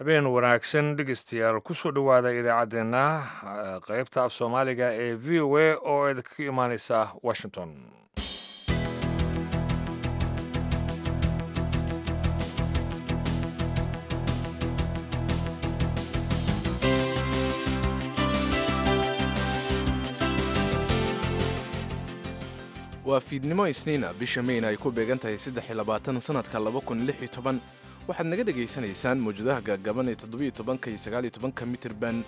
Habeen wanaagsan, dhegeystayaal. Kusoo dhowaada idaacaddeenna qeybta af Soomaaliga ee VOA oo idinkaga imaaneysa Washington. Waa fiidnimo Isniina, bisha Meyna ay ku beegan tahay 23, sanadka 2016. Waxaad naga dhegaysanaysaan mawjadaha gaagaaban ee 17-ka iyo 19-ka mitirban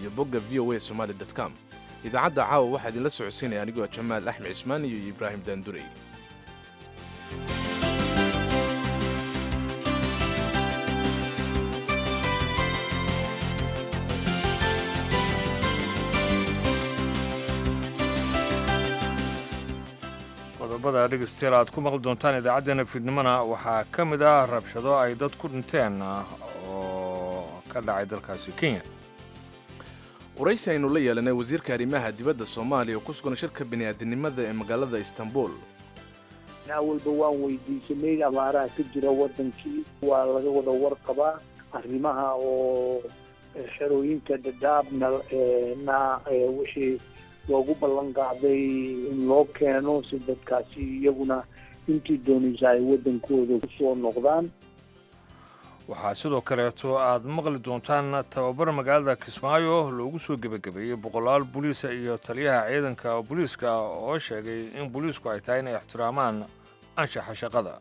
iyo bogga voasomali com. Idaacadda caawa waxaa idinla socodsiinaya anigoo Jamaal Axmed Cismaan iyo Ibraahim Daandurey. Qodobada, dhegeystayaal, aad ku maqli doontaan idaacaddeenna fiidnimona waxaa ka mid ah rabshado ay dad ku dhinteen oo ka dhacay dalkaasi Kenya. Waraysi aynu la yeelanay wasiirka arrimaha dibadda Soomaaliya oo ku sugan shirka bini'aadinimada ee magaalada Istanbul. Awalba waan weydiisanay abaaraha ka jira wadankii, waa laga wada warqabaa arrimaha oo xerooyinka Dhadhaabna na wixii loogu ballan qaaday in loo keeno si dadkaasi iyaguna intii doonaysa ay waddankooda kusoo noqdaan. Waxaa sidoo kaleeto aad maqli doontaan tababar magaalada Kismaayo loogu soo gebagabeeyey boqolaal booliisa iyo taliyaha ciidanka booliiska oo sheegay in booliisku ay tahay inay ixtiraamaan anshaxa shaqada.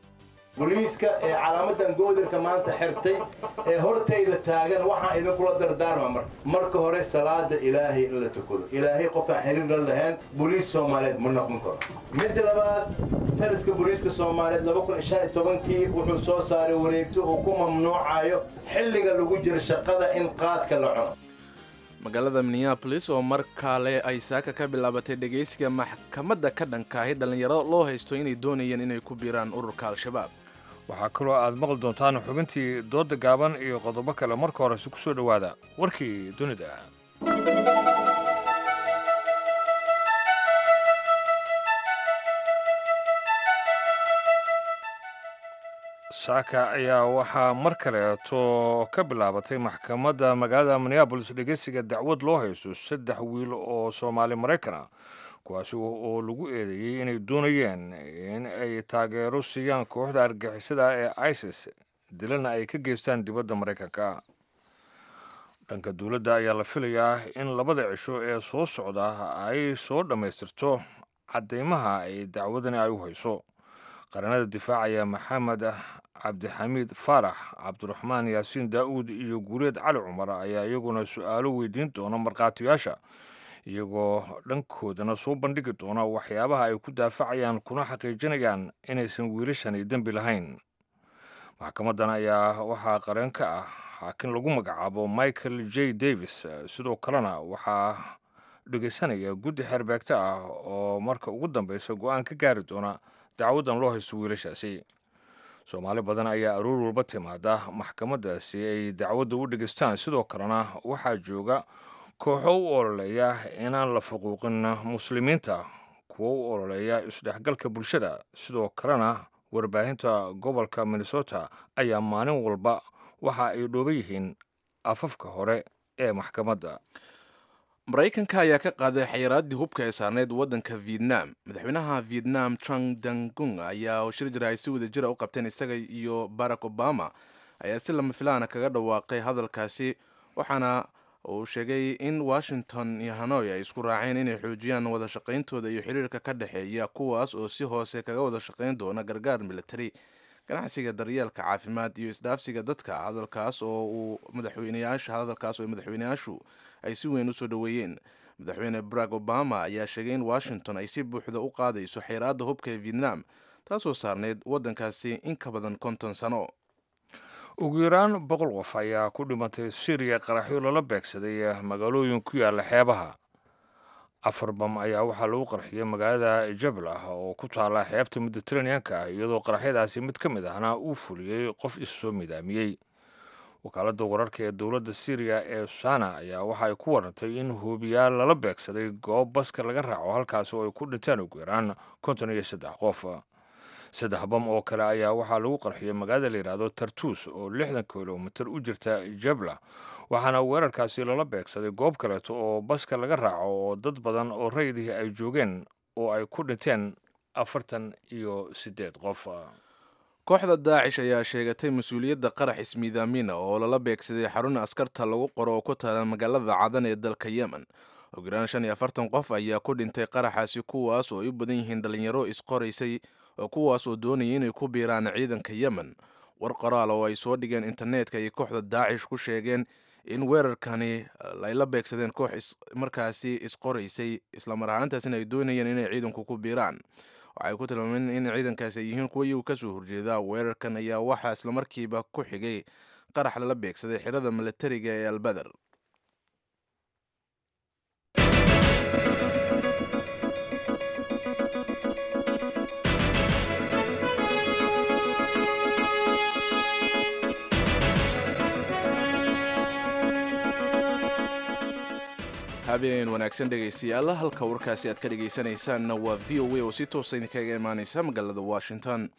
Booliiska ee calaamadan goodirka maanta xirtay ee hortayda taagan, waxaan idinkula dardaarma marka hore salaada Ilaahay in la tukado. Ilaahay qofaan xiriir la lahayn booliis Soomaaliyeed ma noqon karo. Midda labaad, taliska booliiska Soomaaliyeed 2015-kii wuxuu soo saaray wareegto uu ku mamnuucayo xilliga lagu jiro shaqada in qaadka la cuno. Magaalada Minneapolis oo mar kale ay saaka ka bilaabatay dhegaysiga maxkamadda ka dhankaahi dhallinyaro loo haysto inay doonayeen inay ku biiraan ururka Al-Shabaab. Waxaa kaloo aad maqli doontaan xubintii dooda gaaban iyo qodobo kale. Marka horese, ku soo dhowaada warkii dunida. Saaka ayaa waxaa mar kaleeto ka bilaabatay maxkamadda magaalada Minneapolis dhegeysiga dacwad loo haysto saddex wiil oo Soomaali Maraykan ah, kuwaasi oo lagu eedeeyey inay doonayeen in ay taageero siiyaan kooxda argagixisada ee ISIS, dilana ay ka geystaan dibadda Maraykanka. Dhanka dowladda ayaa la filayaa in labada cisho ee soo socda ay soo dhammaystirto caddeymaha ay dacwadani ay u hayso. Qaranada difaacaya, Maxamed Cabdixamiid Faarax, Cabdiraxmaan Yaasiin Daa'uud iyo Guureed Cali Cumar, ayaa iyaguna su-aalo weydiin doona markhaatiyaasha, iyagoo dhankoodana soo bandhigi doona waxyaabaha ay ku daafacayaan kuna xaqiijinayaan inaysan wiilashani dembi lahayn. Maxkamaddan ayaa waxaa qareen ka ah xaakin lagu magacaabo Michael J Davis. Sidoo kalena waxaa dhegeysanaya guddi xeerbeegta ah oo marka ugu dambeysa go-aan ka gaari doona dacwaddan loo haysto wiilashaasi. Soomaali badan ayaa aroor walba timaada maxkamadda si ay dacwadda u dhegeystaan. Sidoo kalena waxaa jooga kooxo u ololeeya inaan la fuquuqin Muslimiinta, kuwo u ololeeya isdhexgalka bulshada. Sidoo kalena warbaahinta gobolka Minnesota ayaa maalin walba waxa ay dhooban yihiin afafka hore ee maxkamadda. Maraykanka ayaa ka qaaday xayiraaddii hubka ee saarneyd waddanka Vietnam. Madaxweynaha Vietnam Trang Dangung ayaa shir jira ay si wada jira u qabteen isaga iyo Barack Obama ayaa si lama filaana kaga dhawaaqay hadalkaasi, waxaana uu sheegay in Washington iyo Hanoi ay isku raaceen inay xoojiyaan wada shaqayntooda iyo xiriirka ka dhexeeya, kuwaas oo si hoose kaga wada shaqayn doona gargaar military, ganacsiga, daryeelka caafimaad iyo isdhaafsiga dadka. Hadalkaas oo uu madaxweyneyaasha hadalkaas oo madaxweyneyaashu ay si weyn usoo dhoweeyeen. Madaxweyne Barack Obama ayaa sheegay in Washington ay si buuxda u qaadayso xayiraadda hubka ee Vietnam, taasoo saarneyd waddankaasi in ka badan 50 sano. Ugu yaraan 100 qof ayaa ku dhimatay Syriya qaraxyo lala beegsaday magaalooyin ku yaalla xeebaha. Afar bam ayaa waxaa lagu qarxiyey magaalada Jablah oo ku taala xeebta Mediteraneanka, iyadoo qaraxyadaasi mid ka mid ahna uu fuliyey qof issoo midaamiyey. Wakaaladda wararka ee dowladda Syriya ee Sana ayaa waxa ay ku warantay in hoobiyaal lala beegsaday goob baska laga raaco, halkaasi oo ay ku dhinteen ugu yaraan 53 qof. Saddex bam oo kale ayaa waxaa lagu qarxiyey magaalada la yidhaahdo Tartuus oo 60 kilomitir u jirta Jabla, waxaana weerarkaasi lala beegsaday goob kaleeto oo baska laga raaco oo dad badan oo rayidihii ay joogeen oo ay ku dhinteen 48 qof. Kooxda Daacish ayaa sheegatay mas-uuliyadda qarax ismiidaamina oo lala beegsaday xarun askarta lagu qoro oo ku taala magaalada Cadan ee dalka Yemen. Ugu yaraan 45 qof ayaa ku dhintay qaraxaasi, kuwaas oo ay u badan yihiin dhalinyaro isqoraysay oo kuwaas oo doonayay inay ku biiraan ciidanka Yemen. War qoraal oo ay soo dhigeen internetka ayay kooxda Daacish ku sheegeen in weerarkani ay la beegsadeen koox markaasi isqoraysay, islamar ahaantaasina ay doonayeen inay ciidanku ku biiraan. Waxay ku tilmaameen in ciidankaasi ay yihiin kuwa iyagu kasoo horjeeda. Weerarkan ayaa waxaa islamarkiiba ku xigay qarax lala beegsaday xirada milatariga ee Albadar. Habeen wanaagsan dhegaystayaal, halka warkaasi aad ka dhegaysanaysaanna waa V O A oo si toosa idinkaga imaaneysa magaalada Washington.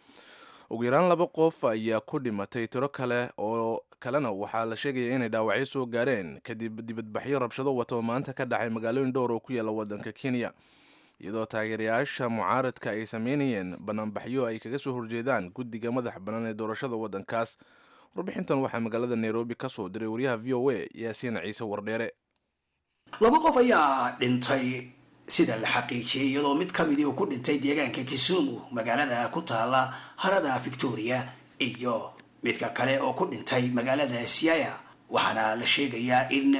Ugu yaraan laba qof ayaa ku dhimatay, tiro kale oo kalena waxaa la sheegaya inay dhaawacyo soo gaareen kadib dibadbaxyo rabshado wata oo maanta ka dhacay magaalooyin dhowr oo ku yaala wadanka Kenya, iyadoo taageerayaasha mucaaradka ay sameynayeen banaanbaxyo ay kaga soo horjeedaan guddiga madax bannaan ee doorashada waddankaas. Warbixintan waxaa magaalada Nairobi ka soo diray wariyaha V O A Yaasiin Ciise Wardheere. Laba qof ayaa dhintay sida la xaqiijiyey, iyadoo mid ka midii uu ku dhintay deegaanka Kisumu, magaalada ku taala harada Victoria, iyo midka kale oo ku dhintay magaalada Siaya. Waxaana la sheegayaa in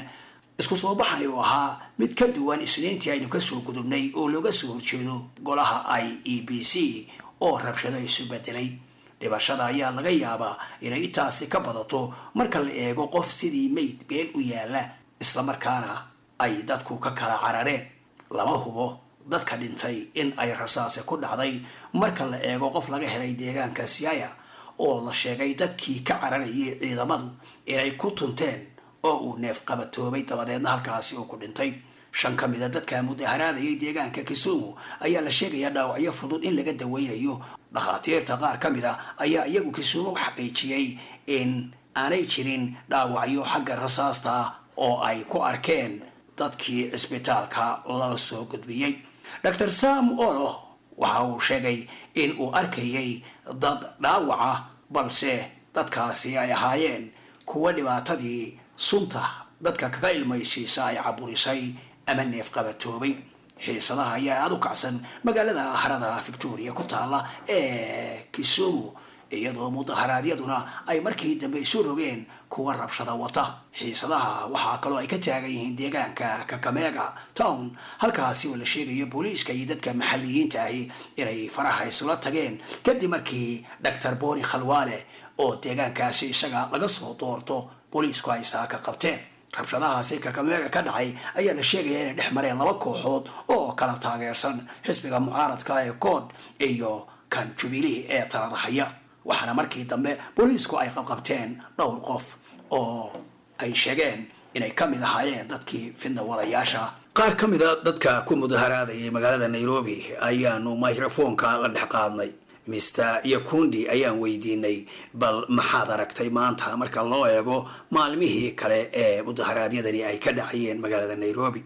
isku soo baxani uu ahaa mid ka duwan Isniintii aynu kasoo gudubnay oo looga soo horjeedo golaha IEBC oo rabshado isu bedelay. Dhibashada ayaa laga yaabaa inay intaasi ka badato marka la eego qof sidii meyd beel u yaala, islamarkaana ay dadku ka kala carareen. Lama hubo dadka dhintay in ay rasaase ku dhacday marka la eego qof laga helay deegaanka Siaya oo la sheegay dadkii ka cararayay ciidamadu inay ku tunteen oo uu neef qabatoobay, dabadeedna halkaasi uu ku dhintay. Shan ka mida dadka mudaharaadayay deegaanka Kisumu ayaa la sheegayaa dhaawacyo fudud in laga daweynayo. Dhakhaatiirta qaar ka mid a ayaa iyagu Kisumu xaqiijiyey in aanay jirin dhaawacyo xagga rasaasta oo ay ku arkeen dadkii cisbitaalka loo soo gudbiyey. Dr Sam Olo waxa uu sheegay in uu arkayay dad dhaawaca, balse dadkaasi ay ahaayeen kuwa dhibaatadii sunta dadka kaga ilmaysiisa ay caburisay ama neef qabatoobay. Xiisadaha ayaa aada u kacsan magaalada harada Victoria ku taala ee Kisumu, iyadoo mudaharaadyaduna ay markii dambe isu rogeen kuwa rabshada wata. Xiisadaha waxaa kaloo ay ka taagan yihiin deegaanka Kakamega town, halkaasi oo la sheegayo booliiska iyo dadka maxalliyiinta ahi inay faraha isula tageen kadib markii Dr Boni Khalwaale oo deegaankaasi isaga laga soo doorto booliisku ay saaka qabteen. Rabshadahaasi Kakamega ka dhacay ayaa la sheegaya inay dhex mareen laba kooxood oo kala taageersan xisbiga mucaaradka ee CORD iyo kan Jubilee ee talada haya, waxaana markii dambe booliisku ay qabqabteen dhowr qof oo ay sheegeen inay ka mid ahaayeen dadkii fidna walayaasha. Qaar ka mida dadka ku mudaharaadayay magaalada Nairobi ayaanu microfoonka la dhex qaadnay. Mr Yakundi ayaan weydiinay, bal maxaad aragtay maanta marka loo eego maalmihii kale ee mudaharaadyadani ay ka dhacayeen magaalada Nairobi?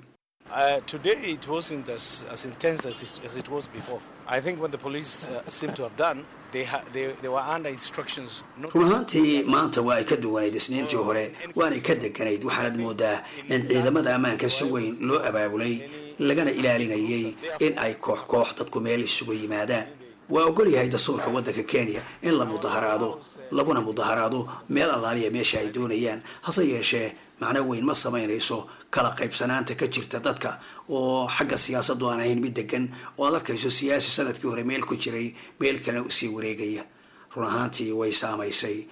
Today it wasn't as intense as it was before. I think when the police seem to have done, they were under instructions not Run ahaantii maanta waa ay ka duwanayd Isniintii hore, waanay ka deganayd. Waxaanad moodaa in ciidamada ammaanka si weyn loo abaabulay, lagana ilaalinayay in ay koox koox dadku meel isugu yimaadaan. Waa ogol yahay dastuurka waddanka Kenya in la mudaharaado, laguna mudaharaado meel allaaliya meesha ay doonayaan. Hase yeeshee macno weyn ma samaynayso kala qaybsanaanta ka jirta dadka oo xagga siyaasaddu aan ahayn mid degan, oo aad arkayso siyaasi sanadkii hore meel ku jiray meel kalena usii wareegaya. Run ahaantii way saamaysay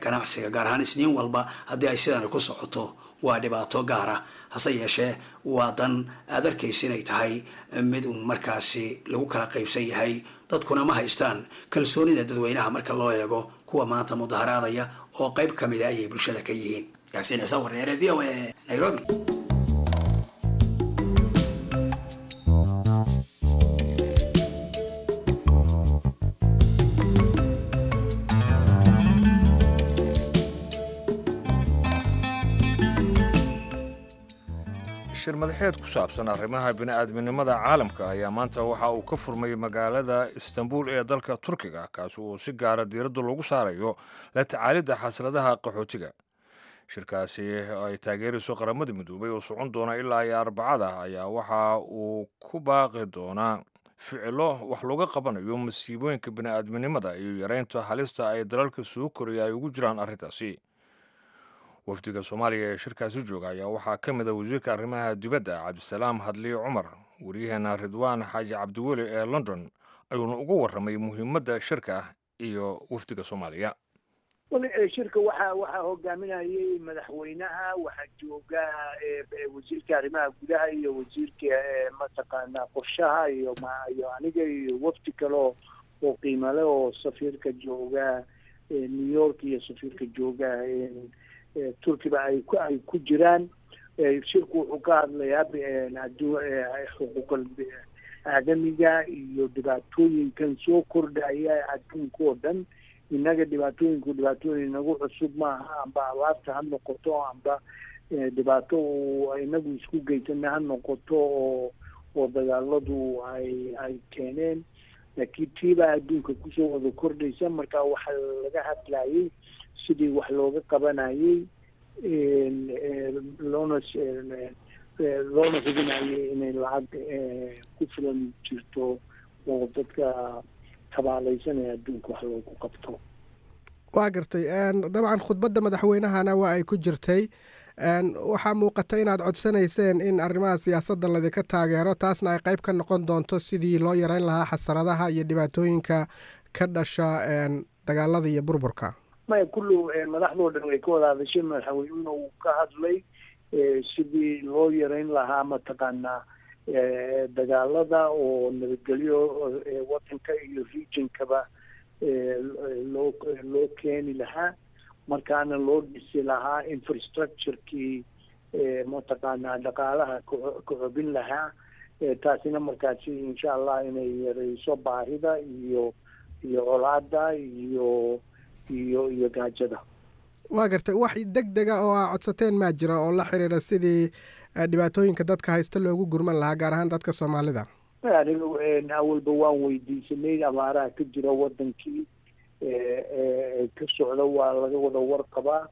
ganacsiga, gaar ahaan Isniin walba haddii ay sidan ku socoto waa dhibaato gaara. Hase yeeshee waa dan aad arkaysa inay tahay mid un markaasi lagu kala qaybsan yahay, dadkuna ma haystaan kalsoonida dadweynaha marka loo eego kuwa maanta mudaharaadaya oo qayb ka mida ayay bulshada ka yihiin. Yaasiin Ciise Wareere, V O A, Nairobi. Shir madaxeed ku saabsan arrimaha bini'aadminimada caalamka ayaa maanta waxa uu ka furmay magaalada Istanbul ee dalka Turkiga, kaasi uu si gaara diiradda loogu saarayo la tacaalidda xasradaha qaxootiga. Shirkaasi ay taageerayso Qaramada Midoobay oo socon doona ilaa iyo Arbacada ayaa waxa uu ku baaqi doonaa ficilo wax looga qabanayo masiibooyinka bini'aadminimada iyo yareynta halista ay dalalka soo koraya ay ugu jiraan arrintaasi. Wafdiga Soomaaliya ee shirkaasi jooga ayaa waxaa ka mid a wasiirka arrimaha dibadda, Cabdisalaam Hadliye Cumar. Waryaheena Ridwaan Xaaji Cabdiweli ee London ayuuna uga warramay muhiimadda shirka iyo wafdiga Soomaaliya. Shirka waxaa hogaaminayay madaxweynaha, waxaa jooga wasiirka arrimaha gudaha iyo wasiirka mataqaana qorshaha iyo aniga iyo wafdi kale oo qiimale oo safiirka jooga New York iyo safiirka jooga Turkiba ay ku jiraan. Shirku wuxuu ka hadlayaa xuquuqal aadamiga iyo dhibaatooyinkan soo kordhaya adduunka oo dhan. Innaga dhibaatooyinku dhibaatooyin inagu cusub maaha, amba abaarta ha noqoto, amba dhibaato uu inagu isku geysana ha noqoto oo dagaaladu ay keeneen, laakiin tiibaa adduunka kusoo wada kordhaysa. Marka waxaa laga hadlayay sidii wax looga qabanayay, loona hubinayay inay lacag ku filan jirto oo dadka tabaalaysanaya adduunka wax loogu qabto. Waa gartay. Dabcan khudbadda madaxweynahana waa ay ku jirtay. Waxaa muuqata inaad codsanayseen in arrimaha siyaasadda ladinka taageero, taasna ay qayb ka noqon doonto sidii loo yareyn lahaa xasaradaha iyo dhibaatooyinka ka dhasha dagaalada iyo burburka. Maya, kullu madaxdoo dhan way ka wada hadashay, madaxweynuna uu ka hadlay sidii loo yareyn lahaa mataqaanaa dagaalada oo nabadgelyo wadanka iyo regionkaba loo keeni lahaa, markaana loo dhisi lahaa infrastructurekii mataqaanaa dhaqaalaha ka xobin lahaa, taasina markaasi insha Allah inay yareyso baahida iyo colaada iyo gaajada. Waa gartay. Wax deg dega oo aa codsateen maa jira oo la xiriira sidii dhibaatooyinka dadka haysta loogu gurman lahaa, gaar ahaan dadka Soomaalida? Aniga awalba waan weydiisanay abaaraha ka jira wadankii ka socda, waa laga wada warqabaa,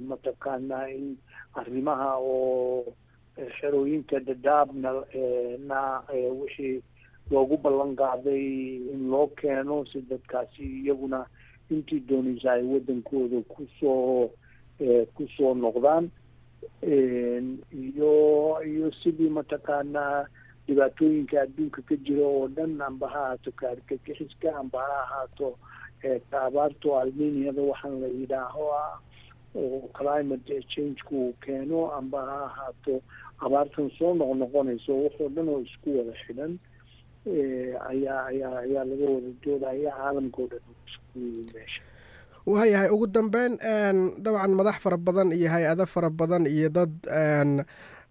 mataqaanaa in arrimaha oo xerooyinka Dadaabna na wixii loogu ballan qaaday in loo keeno si dadkaasi iyaguna intii doonaysa ay wadankooda kusoo noqdaan, iyo sidii mataqaanaa dhibaatooyinka adduunka ka jira oo dhan, amba ha ahaato kaargagixiska, amba ha ahaato abaarto alminiyada waxaan la yidhaaho ah oo climate change-ku uu keeno, amba ha ahaato abaartan soo noqnoqonayso, waxoo dhan oo isku wada xidhan ayaa laga wada doodaya, caalamka oo dhan isku meesha. Waayahay. Ugu dambeyn, dabcan madax fara badan iyo hay-ado fara badan iyo dad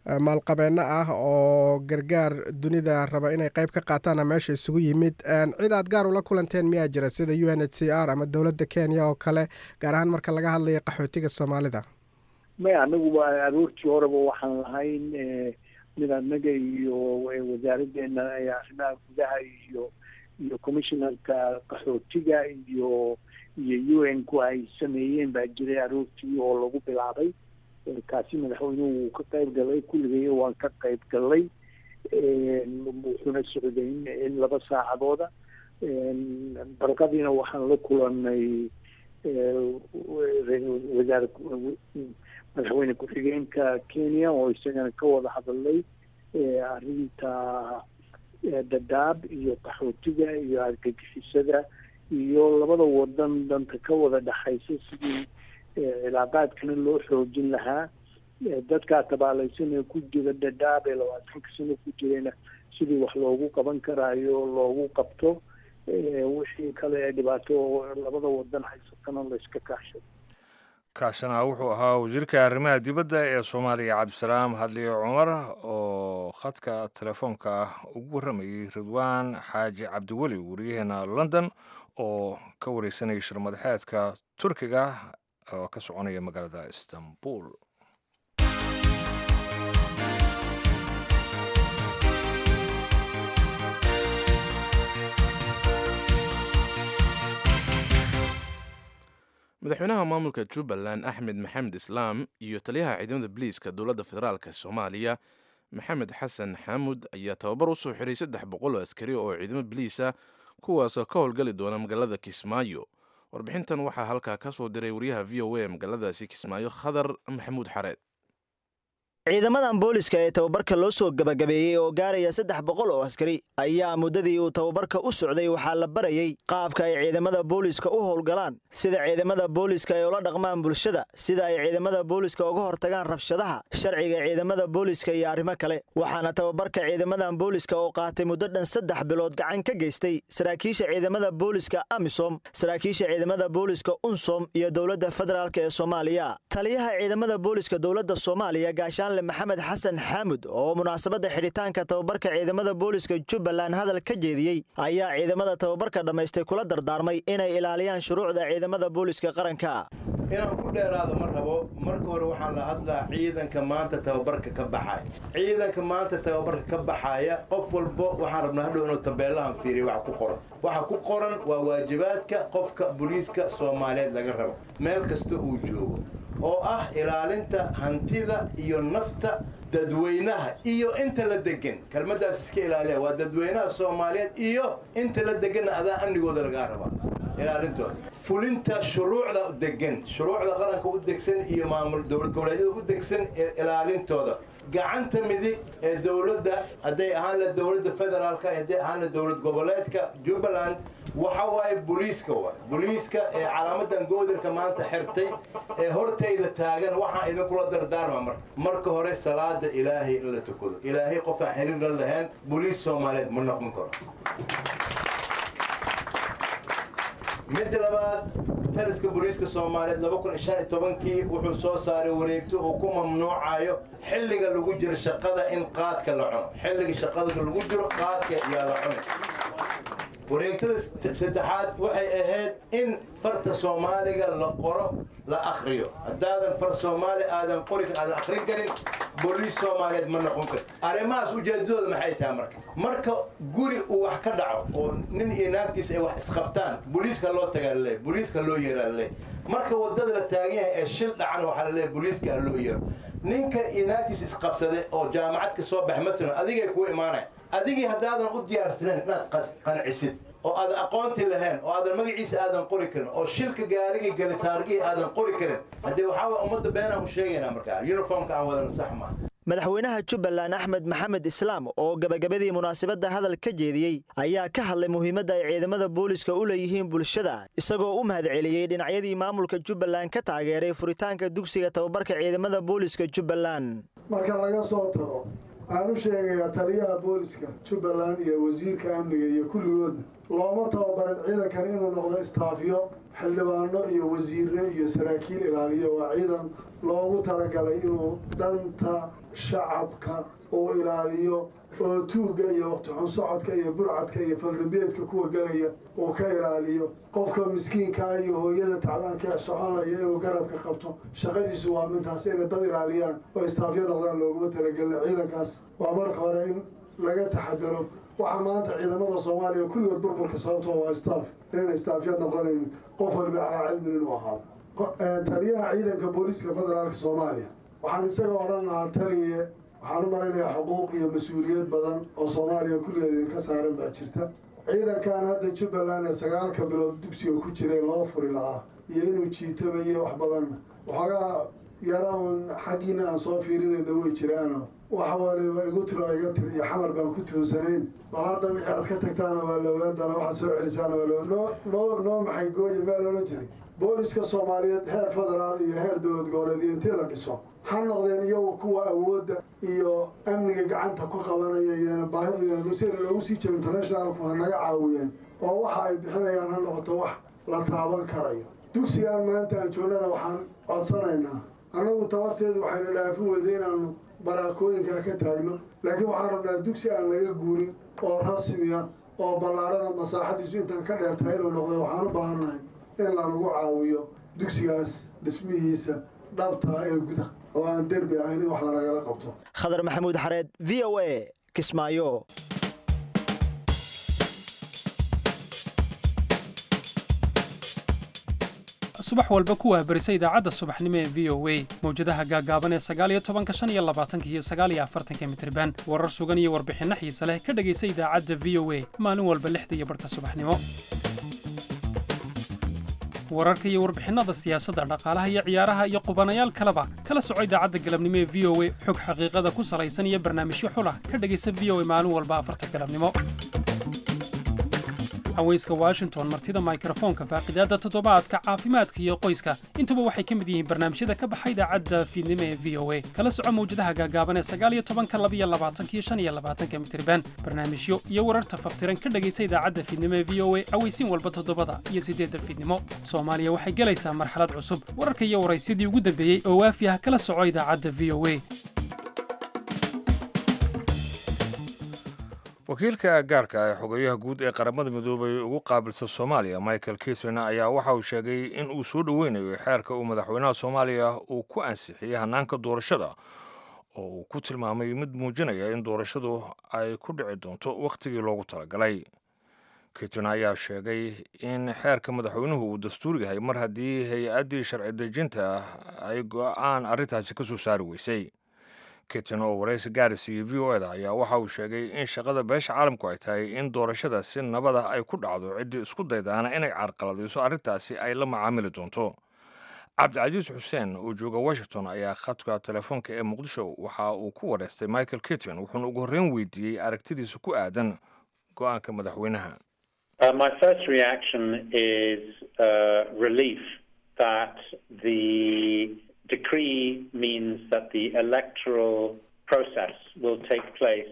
maalqabeeno ah oo gargaar dunida raba inay qayb ka qaataana meesha isugu yimid. Cid aad gaar ula kulanteen miyaa jira, sida UNHCR ama dowladda Kenya oo kale, gaar ahaan marka laga hadlayo qaxootiga Soomaalida? Maya, anagu waa aroortii horeba waxaan lahayn mid anaga iyo wasaaraddeena arrimaha gudaha iyo commissionerka qaxootiga iyo UN ku ay sameeyeen baa jiray aroortii oo lagu bilaabay. Kaasi madaxweynuhu wuu ka qayb galay, kulligay waan ka qayb galay, wuxuuna socday in 2 saacadooda. Barqadiina waxaan la kulanay wasaar madaxweyne ku-xigeenka Kenya oo isagana ka wada hadalay arrinta Dadaab iyo qaxootiga iyo argagixisada iyo labada wadan danta ka wada dhexaysa, sidii cilaaqaadkana loo xoojin lahaa, dadkaa tabaalaysan ee ku jira Dadaab ee 20ka sano ku jirayna sidii wax loogu qaban karaayo loogu qabto, wixii kale ee dhibaato labada wadan haysatana layska kaashado. Kaasina wuxuu ahaa wasiirka arrimaha dibadda ee Soomaaliya, Cabdisalaam Hadliye Cumar, oo khadka telefoonka ah ugu warramayey Ridwaan Xaaji Cabdiweli, wariyaheena London, oo ka wareysanayay shirmadaxeedka Turkiga oo ka soconaya magaalada Istanbul. Madaxweynaha maamulka Jubbaland Axmed Maxamed Islaam iyo taliyaha ciidamada biliiska dowladda federaalk Soomaaliya Maxamed Xasan Xaamud ayaa tababar usoo xiray 300 oo askari oo ciidamo biliisa, kuwaasoo ka howlgali doona magaalada Kismaayo. Warbixintan waxaa halkaa ka soo diray wariyaha VOA magaaladaasi Kismaayo, Khadar Maxamuud Xareed. Ciidamadan booliska ee tababarka loo soo gebagabeeyey oo gaaraya 300 oo askari ayaa muddadii uu tababarka u socday waxaa la barayey qaabka ay ciidamada booliska u howlgalaan, sida ciidamada booliska ay ula dhaqmaan bulshada, sida ay ciidamada booliska uga hortagaan rabshadaha, sharciga ciidamada booliska iyo arrimo kale. Waxaana tababarka ciidamadan booliska oo qaatay muddo dhan 3 bilood gacan ka geystay saraakiisha ciidamada booliska AMISOM, saraakiisha ciidamada booliska UNSOM iyo dowladda federaalk ee Soomaaliya. Taliyaha ciidamada booliska dowladda Soomaaliya, gaashaan Maxamed Xasan Xaamud, oo munaasabadda xidhitaanka tababarka ciidamada booliska Jubbaland hadal ka jeediyey, ayaa ciidamada tababarka dhammaystay kula dardaarmay inay ilaaliyaan shuruucda ciidamada booliska qaranka. Inaan ku dheeraado ma rabo. Marka hore waxaan la hadlaa ciidanka maanta tababarka ka baxaya. Ciidanka maanta tababarka ka baxaya, qof walbo waxaan rabnaa hadhow inuu tabeelahan fiiriyo waxa ku qoran. Waxa ku qoran waa waajibaadka qofka booliiska Soomaaliyeed laga rabo meel kasta uu joogo, oo ah ilaalinta hantida iyo nafta dadweynaha iyo inta la degan. Kelmaddaas iska ilaaliya, waa dadweynaha Soomaaliyeed iyo inta la deganna adaa amnigooda lagaa rabaa ilaalintooda, fulinta shuruucda degan, shuruucda qaranka u degsan iyo maamul dowlad goboleedyada u degsan ilaalintooda. Gacanta midig ee dowladda, hadday ahaan la dowladda federaalka, hadday ahaan la dowlad goboleedka Jubbaland, waxa waaye booliiska. Waay booliiska ee calaamadan goodirka maanta xirtay ee hortayda taagan. Waxaan idinkula dardaarma marka hore salaada Ilaahay in la tukado. Ilaahay qofaan xiriir la lahayn booliis Soomaaliyeed ma noqon karo. Midda labaad, taliska booliiska Soomaaliyeed 2015-kii wuxuu soo saaray wareegto uu ku mamnuucayo xilliga lagu jiro shaqada in qaadka la cuno. Xilliga shaqada lagu jiro qaadka yaa la cunay. Wareegtada saddexaad waxay ahayd in farta Soomaaliga la qoro, la akhriyo. Haddaadan far Soomaali aadan qori, aadan akhrin karin, booliis Soomaaliyeed ma noqon karto. Arrimahaas ujeedadooda maxay tahay? Marka guri uu wax ka dhaco oo nin iyo naagtiisa ay wax isqabtaan, booliiska loo tagaa laleeyahy, booliiska loo yeeraa laleeyahy. Marka waddada la taagan yahay ee shil dhacana, waxaa laleeyahay booliiska ha loo yeero. Ninka iyo naagtiisa isqabsaday oo jaamacad ka soo baxay matalan adigay kuu imaanaya. Adigii haddaadan u diyaarsanayn inaad qancisid oo aadan aqoonti lahayn oo aadan magaciisa aadan qori karin oo shilka gaarigii galitaargihii aadan qori karin, haddee waxaa waye ummadda beenaan u sheegaynaa. Markaa uniformka aan wadana sax maa. Madaxweynaha Jubbaland Axmed Maxamed Islaam oo gabagabadii munaasabadda hadal ka jeediyey ayaa ka hadlay muhiimadda ay ciidamada booliska u leeyihiin bulshada, isagoo u mahadceliyey dhinacyadii maamulka Jubbaland ka taageeray furitaanka dugsiga tababarka ciidamada booliska Jubbaland. Marka laga soo tago, waxaan u sheegayaa taliyaha booliska Jubbaland iyo wasiirka amniga iyo kulligoodna, looma tababarin ciidankan inuu noqdo istaafyo xildhibaano iyo wasiire iyo saraakiil ilaaliyo. Waa ciidan loogu talagalay inuu danta shacabka uu ilaaliyo oo tuugga iyo waqti xun socodka iyo burcadka iyo faldambiyeedka kuwa gelaya uu ka ilaaliyo, qofka miskiinkaa iyo hooyada tacbaanka ee soconlaya inuu garabka qabto. Shaqadiisu waa mintaas. Inay dad ilaaliyaan oo istaafyo noqdaan looguma talagelin ciidankaas. Waa marka hore in laga taxadaro. Waxaa maanta ciidamada Soomaaliya kulligood burburka sababtoo waa staff, inayna istaafya noqonayn, qof waliba calaa cilmin inuu ahaado. Taliyaha ciidanka booliiska federaalka Soomaaliya waxaan isaga odhan lahaa: taliye, waxaan u malaynayaa xuquuq iyo mas-uuliyad badan oo Soomaaliya kulligeed idinka saaran baa jirta. Ciidankan hadda Jubbaland ee 9-ka bilood dugsiga ku jiray loo furi lahaa iyo inuu jiitamayo wax badanna, waxoogaa yara uun xaggiina aan soo fiirinayna way jiraano. Wax waliba igu tiro, iga tir iyo Xamar baan ku tuunsanayn. Bal hadda wixii aad ka tagtaana waa la ogaan doonaa, waxaad soo celisaana waa la noo noo noo maxay gooye meel odhan jiray. Booliska Soomaaliyeed heer federaal iyo heer dowlad goboleed iyo intii la dhiso ha noqdeen iyagu kuwa awoodda iyo amniga gacanta ku qabanaya. Iyana baahidu yana si loogu sii jiro internationalku ha naga caawiyeen oo waxa ay bixinayaan ha noqoto wax la taaban karayo. Dugsigaan maanta aan joognana waxaan codsanaynaa, annagu tabarteedu waxayna dhaafin weyday inaanu baraakooyinkaa ka taagno, laakiin waxaan rabnaa dugsi aan laga guurin oo rasmiya oo ballaarhana masaaxadiisu intaan ka dheertahay inuu noqdo. Waxaan u baahannahay in lanagu caawiyo dugsigaas dhismihiisa dhabtaa ee guda oo aan derbi ahayn in wax lanagala qabto. Khadar Maxamuud Xareed, VOA, Kismaayo. Subax walba ku waabarisa idaacadda subaxnimo ee VOA mawjadaha gaagaaban ee 19-ka, 25-ka iyo 49-ka mitirban. Warar sugan iyo warbixinno xiise leh ka dhegaysa idaacadda VOA maalin walba 6:30 subaxnimo. Wararka iyo warbixinnada siyaasadda, dhaqaalaha iyo ciyaaraha iyo qubanayaal kaleba kala soco idaacadda galabnimo ee VOA. Xog xaqiiqada ku salaysan iyo barnaamijyo xulah ka dhegaysa VOA maalin walba 4-ta galabnimo. Haweyska Washington, martida mikrofoonka, faaqidaadda toddobaadka, caafimaadka iyo qoyska, intuba waxay ka mid yihiin barnaamijyada ka baxa idaacadda fiidnimo ee VOA. Kala soco mawjadaha gaagaaban ee 19-ka, 22-ka iyo 25-ka mitirban. Barnaamijyo iyo wararta faftiran ka dhegaysa idaacadda fiidnimo ee VOA aweysiin walba 7-da iyo 8-da fiidnimo. Soomaaliya waxay gelaysaa marxalad cusub. Wararka iyo waraysyadii ugu dambeeyey oo waafi ah kala soco idaacadda VOA. Wakiilka gaarka ee xogeyaha guud ee Qaramada Midoobay ugu qaabilsa Soomaaliya, Michael Keating, ayaa waxa uu sheegay in uu soo dhoweynayo xeerka uu madaxweynaha Soomaaliya uu ku ansixiyey hanaanka doorashada, oo uu ku tilmaamay mid muujinaya in doorashadu ay ku dhici doonto wakhtigii loogu talagalay. Keating ayaa sheegay in xeerka madaxweynuhu uu dastuur yahay mar haddii hay-addii sharci dejinta ay go-aan arrintaasi ka soo saari weysay. Keating oo waraysi gaar siiyey VOA-da ayaa waxa uu sheegay in shaqada beesha caalamku ay tahay in doorashada si nabad ah ay ku dhacdo, ciddii isku daydaana inay carqaladayso arrintaasi ay la macaamili doonto. Cabdicasiis Xuseen oo jooga Washington ayaa khadka telefoonka ee Muqdisho waxa uu ku wareystay Michael Keating, wuxuuna ugu horreyn weydiiyey aragtidiisa ku aadan go-aanka madaxweynaha. My first reaction is relief that the decree means that the electoral process will take place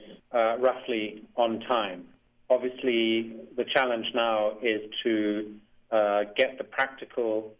roughly on time. Obviously, the challenge now is to get the practical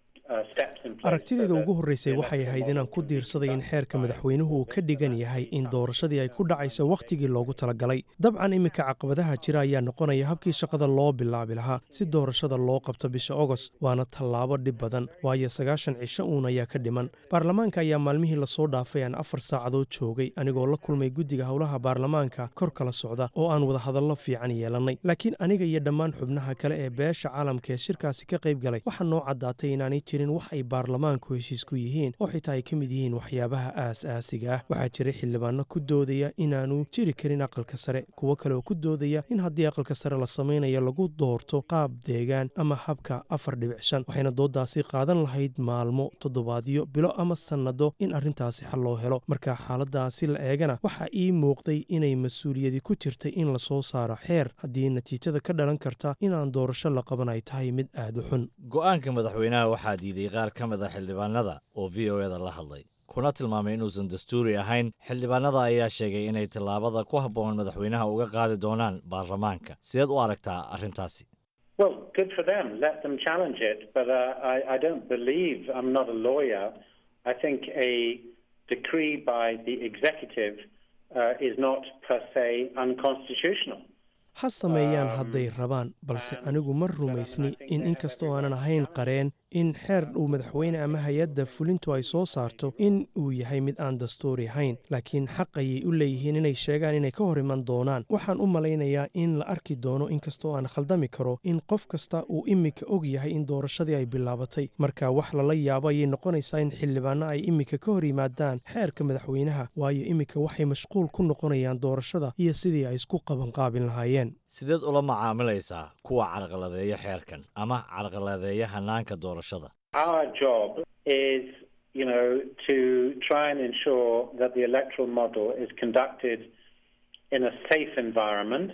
Aragtidayda ugu horreysay waxay ahayd inaan ku diirsaday in xeerka madaxweynuhu uu ka dhigan yahay in doorashadii ay ku dhacayso wakhtigii loogu talagalay. Dabcan, iminka caqabadaha jira ayaa noqonaya habkii shaqada loo bilaabi lahaa si doorashada loo qabto bisha Ogost, waana tallaabo dhib badan, waayo 90 cisho uun ayaa ka dhiman. Baarlamaanka ayaa maalmihii lasoo dhaafay aan 4 saacadood joogay, anigoo la kulmay guddiga howlaha baarlamaanka kor kala socda oo aan wadahadallo fiican yeelannay. Laakiin aniga iyo dhammaan xubnaha kale ee beesha caalamka ee shirkaasi ka qayb galay waxaa noo caddaatay inaanay jirin wax ay baarlamaanku heshiis ku yihiin, oo xitaa ay ka mid yihiin waxyaabaha aas-aasiga ah. Waxaa jiray xildhibaano ku doodaya inaanu jiri karin aqalka sare, kuwo kale oo ku doodaya in haddii aqalka sare la samaynayo lagu doorto qaab deegaan ama habka 4.5, waxayna doodaasi qaadan lahayd maalmo, toddobaadyo, bilo ama sannado in arrintaasi xal loo helo. Marka xaaladaasi la eegana, waxaa ii muuqday inay mas-uuliyadi ku jirtay in lasoo saaro xeer haddii natiijada ka dhalan karta inaan doorasho la qaban ay tahay mid aad u xun. Go-aanka madaxweynaha waxaa diiday qaar ka mid a xildhibaanada oo VOA-da la hadlay, kuna tilmaamay inuusan dastuuri ahayn. Xildhibaanada ayaa sheegay inay tallaabada ku habboon madaxweynaha uga qaadi doonaan baarlamaanka. Sideed u aragtaa arrintaasi? Well, good for them. Let them challenge it. But I don't believe, I'm not a lawyer, I think a decree by the executive is not per se unconstitutional. Ha sameeyaan hadday rabaan, balse anigu ma rumaysni in, inkastoo aanan ahayn qareen, in xeer uu madaxweyne ama hay-adda fulintu ay soo saarto in uu yahay mid aan dastuuri ahayn. Laakiin xaq ayay u leeyihiin inay sheegaan inay ka hor iman doonaan. Waxaan u malaynayaa in la arki doono, inkastoo aan khaldami karo, in qof kasta uu iminka og yahay in doorashadii ay bilaabatay. Marka wax lala yaabo ayay noqonaysaa in xildhibaano ay iminka ka hor yimaadaan xeerka madaxweynaha, waayo iminka waxay mashquul ku noqonayaan doorashada iyo sidii ay isku qabanqaabin lahaayeen. Sideed ula macaamilaysaa kuwa carqaladeeya xeerkan ama carqaladeeya hanaanka doorashada? Our job is to try and ensure that the electoral model is conducted in a safe environment,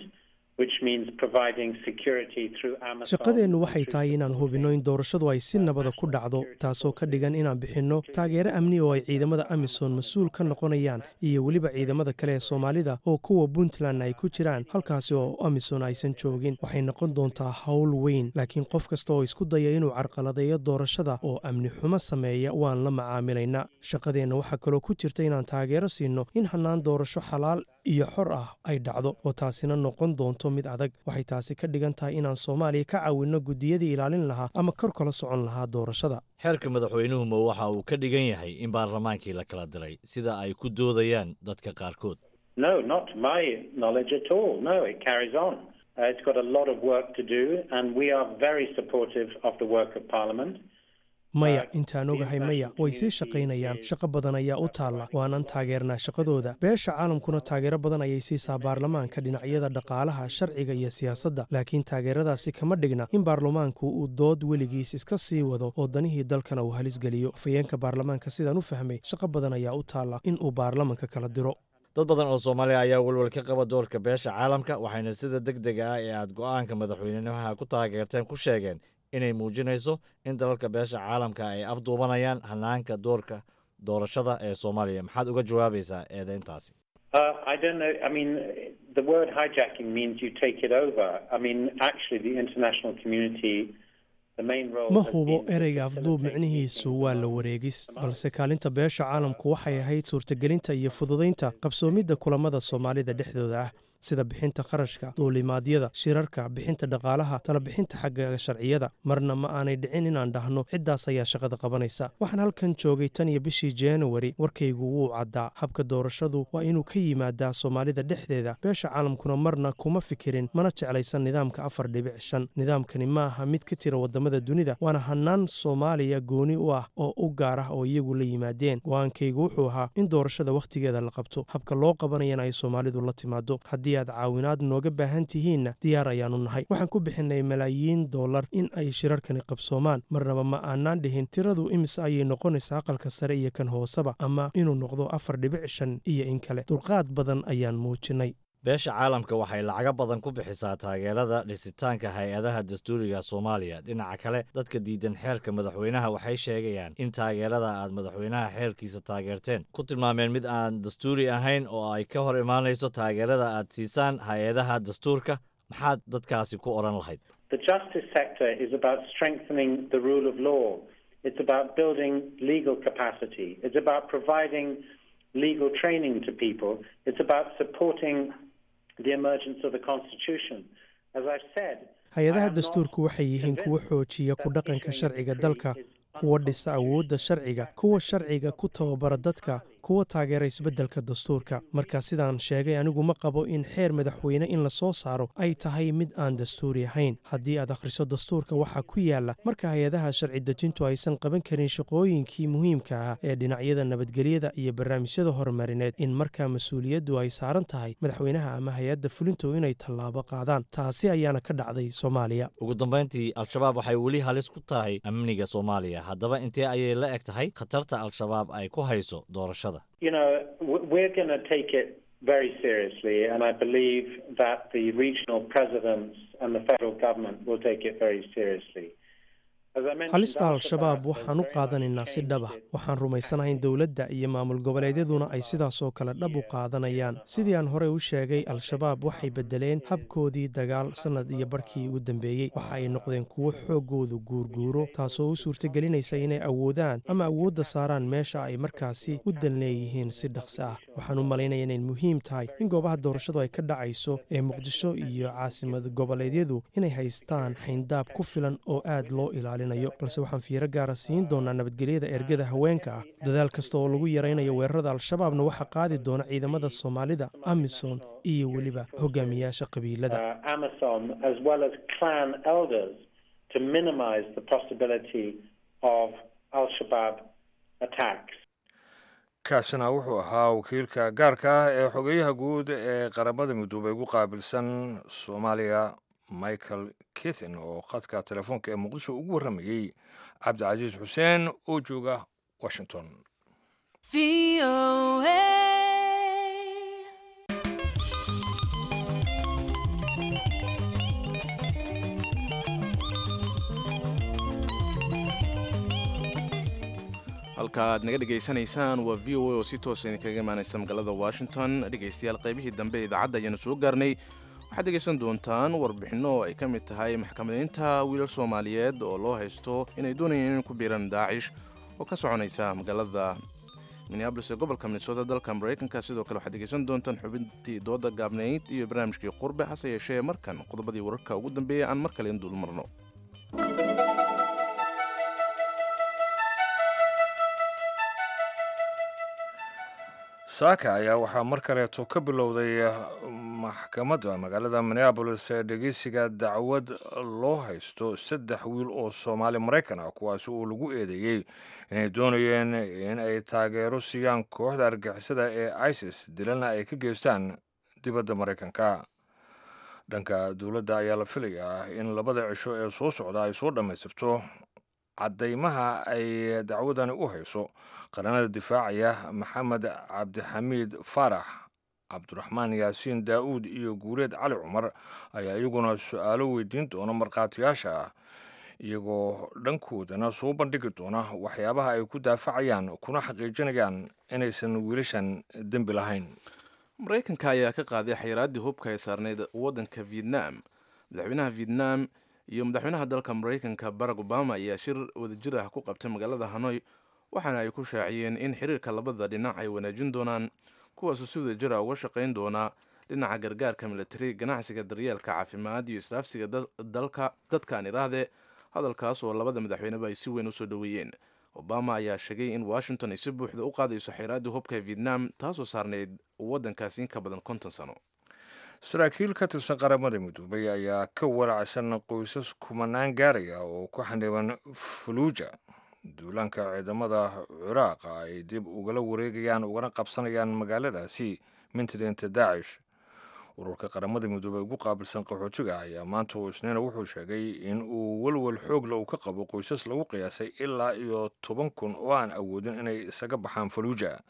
which means providing security through AMISOM. Shaqadeennu waxay tahay inaan hubinno in doorashadu ay si nabada ku dhacdo, taasoo ka dhigan inaan bixinno taageero amni oo ay ciidamada AMISOM mas-uul ka noqonayaan iyo weliba ciidamada kale ee Soomaalida oo kuwa Puntland ay ku jiraan, halkaasi oo AMISOM aysan joogin. Waxay noqon doontaa hawl weyn, laakiin qof kasta oo isku daya inuu carqaladeeyo doorashada oo amni xumo sameeya waan la macaamilaynaa. Shaqadeenna waxaa kaloo ku jirta inaan taageero siinno in hannaan doorasho xalaal iyo xor ah ay dhacdo, oo taasina noqon doonto mid adag. Waxay taasi ka dhigan tahay inaan Soomaaliya ka caawinno guddiyadii ilaalin lahaa ama kor kala socon lahaa doorashada. Xeerka madaxweynuhu ma waxa uu ka dhigan yahay in baarlamaankii la kala diray, sida ay ku doodayaan dadka qaarkood? No, not my knowledge at all. No, it carries on. It's got a lot of work to do, and we are very supportive of the work of Parliament. Maya, intaan ogahay maya, way sii shaqaynayaan. Shaqo badan ayaa u taalla, waanan taageernaa shaqadooda. Beesha caalamkuna taageero badan ayay siisaa baarlamaanka dhinacyada dhaqaalaha, sharciga iyo siyaasadda, laakiin taageeradaasi kama dhigna in baarlamaanku uu dood weligiis iska sii wado oo danihii dalkana uu halis geliyo. Afhayeenka baarlamaanka, sidaan u fahmay, shaqo badan ayaa u taalla in uu baarlamanka kala diro. Dad badan oo Soomaaliya ayaa welwel ka qaba doorka beesha caalamka, waxayna sida deg dega ah ee aad go'aanka madaxweynenimaha ku taageerteen ku sheegeen inay muujinayso in dalalka beesha caalamka ay afduubanayaan hanaanka doorka doorashada ee Soomaaliya. Maxaad uga jawaabaysaa eedeyntaasi? I don't know. I mean, the word hijacking means you take it over. I mean, actually, the international community, the main role. Ma hubo, ereyga afduub micnihiisu waa la wareegis, balse kaalinta beesha caalamku waxay ahayd suurtagelinta iyo fududaynta qabsoomidda kulamada Soomaalida dhexdooda ah, sida bixinta kharashka duulimaadyada, shirarka, bixinta dhaqaalaha, talabixinta xagga sharciyada. Marna ma aanay dhicin inaan dhahno ciddaas ayaa shaqada qabanaysa. Waxaan halkan joogay tan iyo bishii Januari. Warkaygu wuu caddaa: habka doorashadu waa inuu ka yimaadaa Soomaalida dhexdeeda. Beesha caalamkuna marna kuma fikirin mana jeclaysan nidaamka 4.5. Nidaamkani ma aha mid ka jira wadamada dunida, waana hanaan Soomaaliya gooni u ah oo u gaar ah oo iyagu la yimaadeen. Go'aankaygu wuxuu ahaa in doorashada wakhtigeeda la qabto, habka loo qabanayana ay Soomaalidu la timaado. Haddii aad caawinaad nooga baahan tihiinna, diyaar ayaanu nahay. Waxaan ku bixinay malaayiin dollar in ay shirarkani qabsoomaan. Marnaba ma aanaan dhihin tiradu imise ayay noqonaysaa aqalka sare iyo kan hooseba, ama inuu noqdo 4.5 iyo in kale. Dulqaad badan ayaan muujinay. Beesha caalamka waxay lacago badan ku bixisaa taageerada dhisitaanka hay'adaha dastuuriga Soomaaliya. Dhinaca kale, dadka diidan xeerka madaxweynaha waxay sheegayaan in taageerada aad madaxweynaha xeerkiisa taageerteen ku tilmaameen mid aan dastuuri ahayn oo ay ka hor imaanayso taageerada aad siisaan hay'adaha dastuurka. Maxaad dadkaasi ku odhan lahayd? The justice sector is about strengthening the rule of law. It's about building legal capacity. It's about providing legal training to people. It's about supporting the emergence of the Constitution. As I've said, Hay'adaha dastuurku waxay yihiin kuwo xoojiya ku dhaqanka sharciga dalka, kuwa dhisa awoodda sharciga, kuwa sharciga ku tababara dadka, kuwa taageera isbeddelka dastuurka. Marka sidaan sheegay, anigu ma qabo in xeer madaxweyne in la soo saaro ay tahay mid aan dastuuri ahayn. Haddii aad akhriso dastuurka, waxaa ku yaala marka hay'adaha sharci dejintu aysan qaban karin shaqooyinkii muhiimka ah ee dhinacyada nabadgelyada iyo barnaamijyada horumarineed, in markaa mas'uuliyaddu ay saaran tahay madaxweynaha ama hay'adda fulintu inay tallaabo qaadaan. Taasi ayaana ka dhacday Soomaaliya. Ugu dambayntii, Al-Shabaab waxay weli halis ku tahay amniga Soomaaliya. Haddaba, intee ayay la eg tahay khatarta Al-Shabaab ay ku hayso doorashada? We're going to take it very seriously, and I believe that the regional presidents and the federal government will take it very seriously. Halista Al-Shabaab waxaan u qaadanaynaa si dhab ah. Waxaan rumaysanahay in dowladda iyo maamul goboleedyaduna ay sidaas oo kale dhab u qaadanayaan. Sidii aan horey u sheegay, Al-Shabaab waxay beddeleen habkoodii dagaal sannad iyo barkii ugu dambeeyey. Waxa ay noqdeen kuwo xooggoodu guurguuro, taasoo u suurtagelinaysa inay awoodaan ama awoodda saaraan meesha ay markaasi u dan leeyihiin si dhaqsi ah. Waxaan u malaynaya inay muhiim tahay in goobaha doorashadu ay ka dhacayso ee Muqdisho iyo caasimad goboleedyadu inay haystaan xayndaab ku filan oo aad loo ilaalinayo, balse waxaan fiiro gaara siin doonaa nabadgelyada ergada haweenka ah. Dadaal kasta oo lagu yaraynayo weerarada Al-Shabaabna waxaa qaadi doona ciidamada Soomaalida, AMISOM iyo weliba hogaamiyaasha qabiilada. AMISOM as well as clan elders to minimize the possibility of Al-Shabaab attacks. Kaasina wuxuu ahaa wakiilka gaarka ah ee xogeyaha guud ee Qaramada Midoobay ugu qaabilsan Soomaaliya, Michael Keating, oo khadka telefoonka ee Muqdisho ugu warramayey Cabdicasiis Xuseen oo jooga Washington. Halka aad naga dhegaysanaysaan waa VOA oo si toosa idinkaga imaanaysa magaalada Washington. Dhegaystayaal, qaybihii dambe ee idaacadda ayaanu soo gaarnay. Waxaad dhegaysan doontaan warbixinno oo ay ka mid tahay maxkamadeynta wiilal Soomaaliyeed oo loo haysto inay doonayeen inay ku biiraan Daacish oo ka soconaysa magaalada Minneapolis ee gobolka Minnesota, dalka Maraykanka. Sidoo kale waxaad dhegaysan doontaan xubintii dooda gaabnayd iyo barnaamijkii Qurbe. Hase yeeshee, markan qodobadii wararka ugu dambeeyay aan mar kale in dul marno. Saaka ayaa waxaa mar kaleeto ka bilowday maxkamadda magaalada Minneapolis ee dhegeysiga dacwad loo haysto saddex wiil oo Soomaali Maraykan ah, kuwaasi oo lagu eedeeyey inay doonayeen in ay taageero siiyaan kooxda argixisada ee ISIS, dilana ay ka geystaan dibadda Maraykanka. Dhanka dowladda ayaa la filayaa in labada cisho ee soo socda ay soo dhammaystirto caddaymaha ay dacwadani u hayso. Qaranada difaacaya Maxamed Cabdixamiid Faarax, Cabdiraxmaan Yaasiin Daa'uud iyo Guureed Cali Cumar ayaa iyaguna su-aalo weydiin doona markhaatiyaasha ah, iyagoo dhankoodana soo bandhigi doona waxyaabaha ay ku daafacayaan kuna xaqiijinayaan inaysan wiilashan dembi lahayn. Maraykanka ayaa ka qaaday xayiraaddii hubka ay saarnayd waddanka Vietnam. Madaxweynaha Vietnam iyo madaxweynaha dalka Maraykanka Barack Obama ayaa shir wadajir ah ku qabtay magaalada Hanoi, waxaana ay ku shaaciyeen in xiriirka labada dhinac ay wanaajin doonaan, kuwaasoo si wadajir ah uga shaqayn doonaa dhinaca gargaarka militari, ganacsiga, daryeelka caafimaad iyo israafsiga dalka dadkaan iraahde. Hadalkaas oo labada madaxweyneba ay si weyn usoo dhoweeyeen. Obama ayaa sheegay in Washington ay si buuxda u qaadayso xeyraaddii hubka Vietnam, taasoo saarnayd waddankaasi in ka badan 50 sano. Saraakiil ka tirsan Qaramada Midoobay ayaa ka walacsan qoysas kumanaan gaaraya oo ku xaniban Fuluuja, duulaanka ciidamada Ciraaqa ay dib ugala wareegayaan ugana qabsanayaan magaaladaasi mintideenta Daacish. Ururka Qaramada Midoobey ugu qaabilsan qaxootiga ayaa maanta oo Isniina wuxuu sheegay in uu walwal xoogla uu ka qabo qoysas lagu qiyaasay ilaa iyo 10,000 oo aan awoodin inay isaga baxaan Faluuja.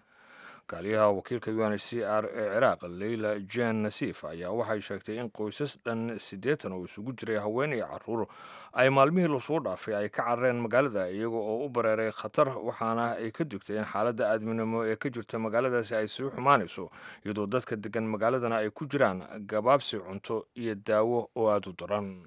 Kaaliyaha wakiilka UNHCR ee Ciraaq, Leyla Jan Nasiif, ayaa waxay sheegtay in qoysas dhan 80 oo isugu jiray haween iyo caruur ay maalmihii lasoo dhaafay ay ka carareen magaalada, iyaga oo u bareeray khatar, waxaana ay ka digtay in xaaladda aadminimo ee ka jirta magaaladaasi ay sii xumaanayso, iyadoo dadka degan magaaladana ay ku jiraan gabaabsi cunto iyo daawo oo aada u daran.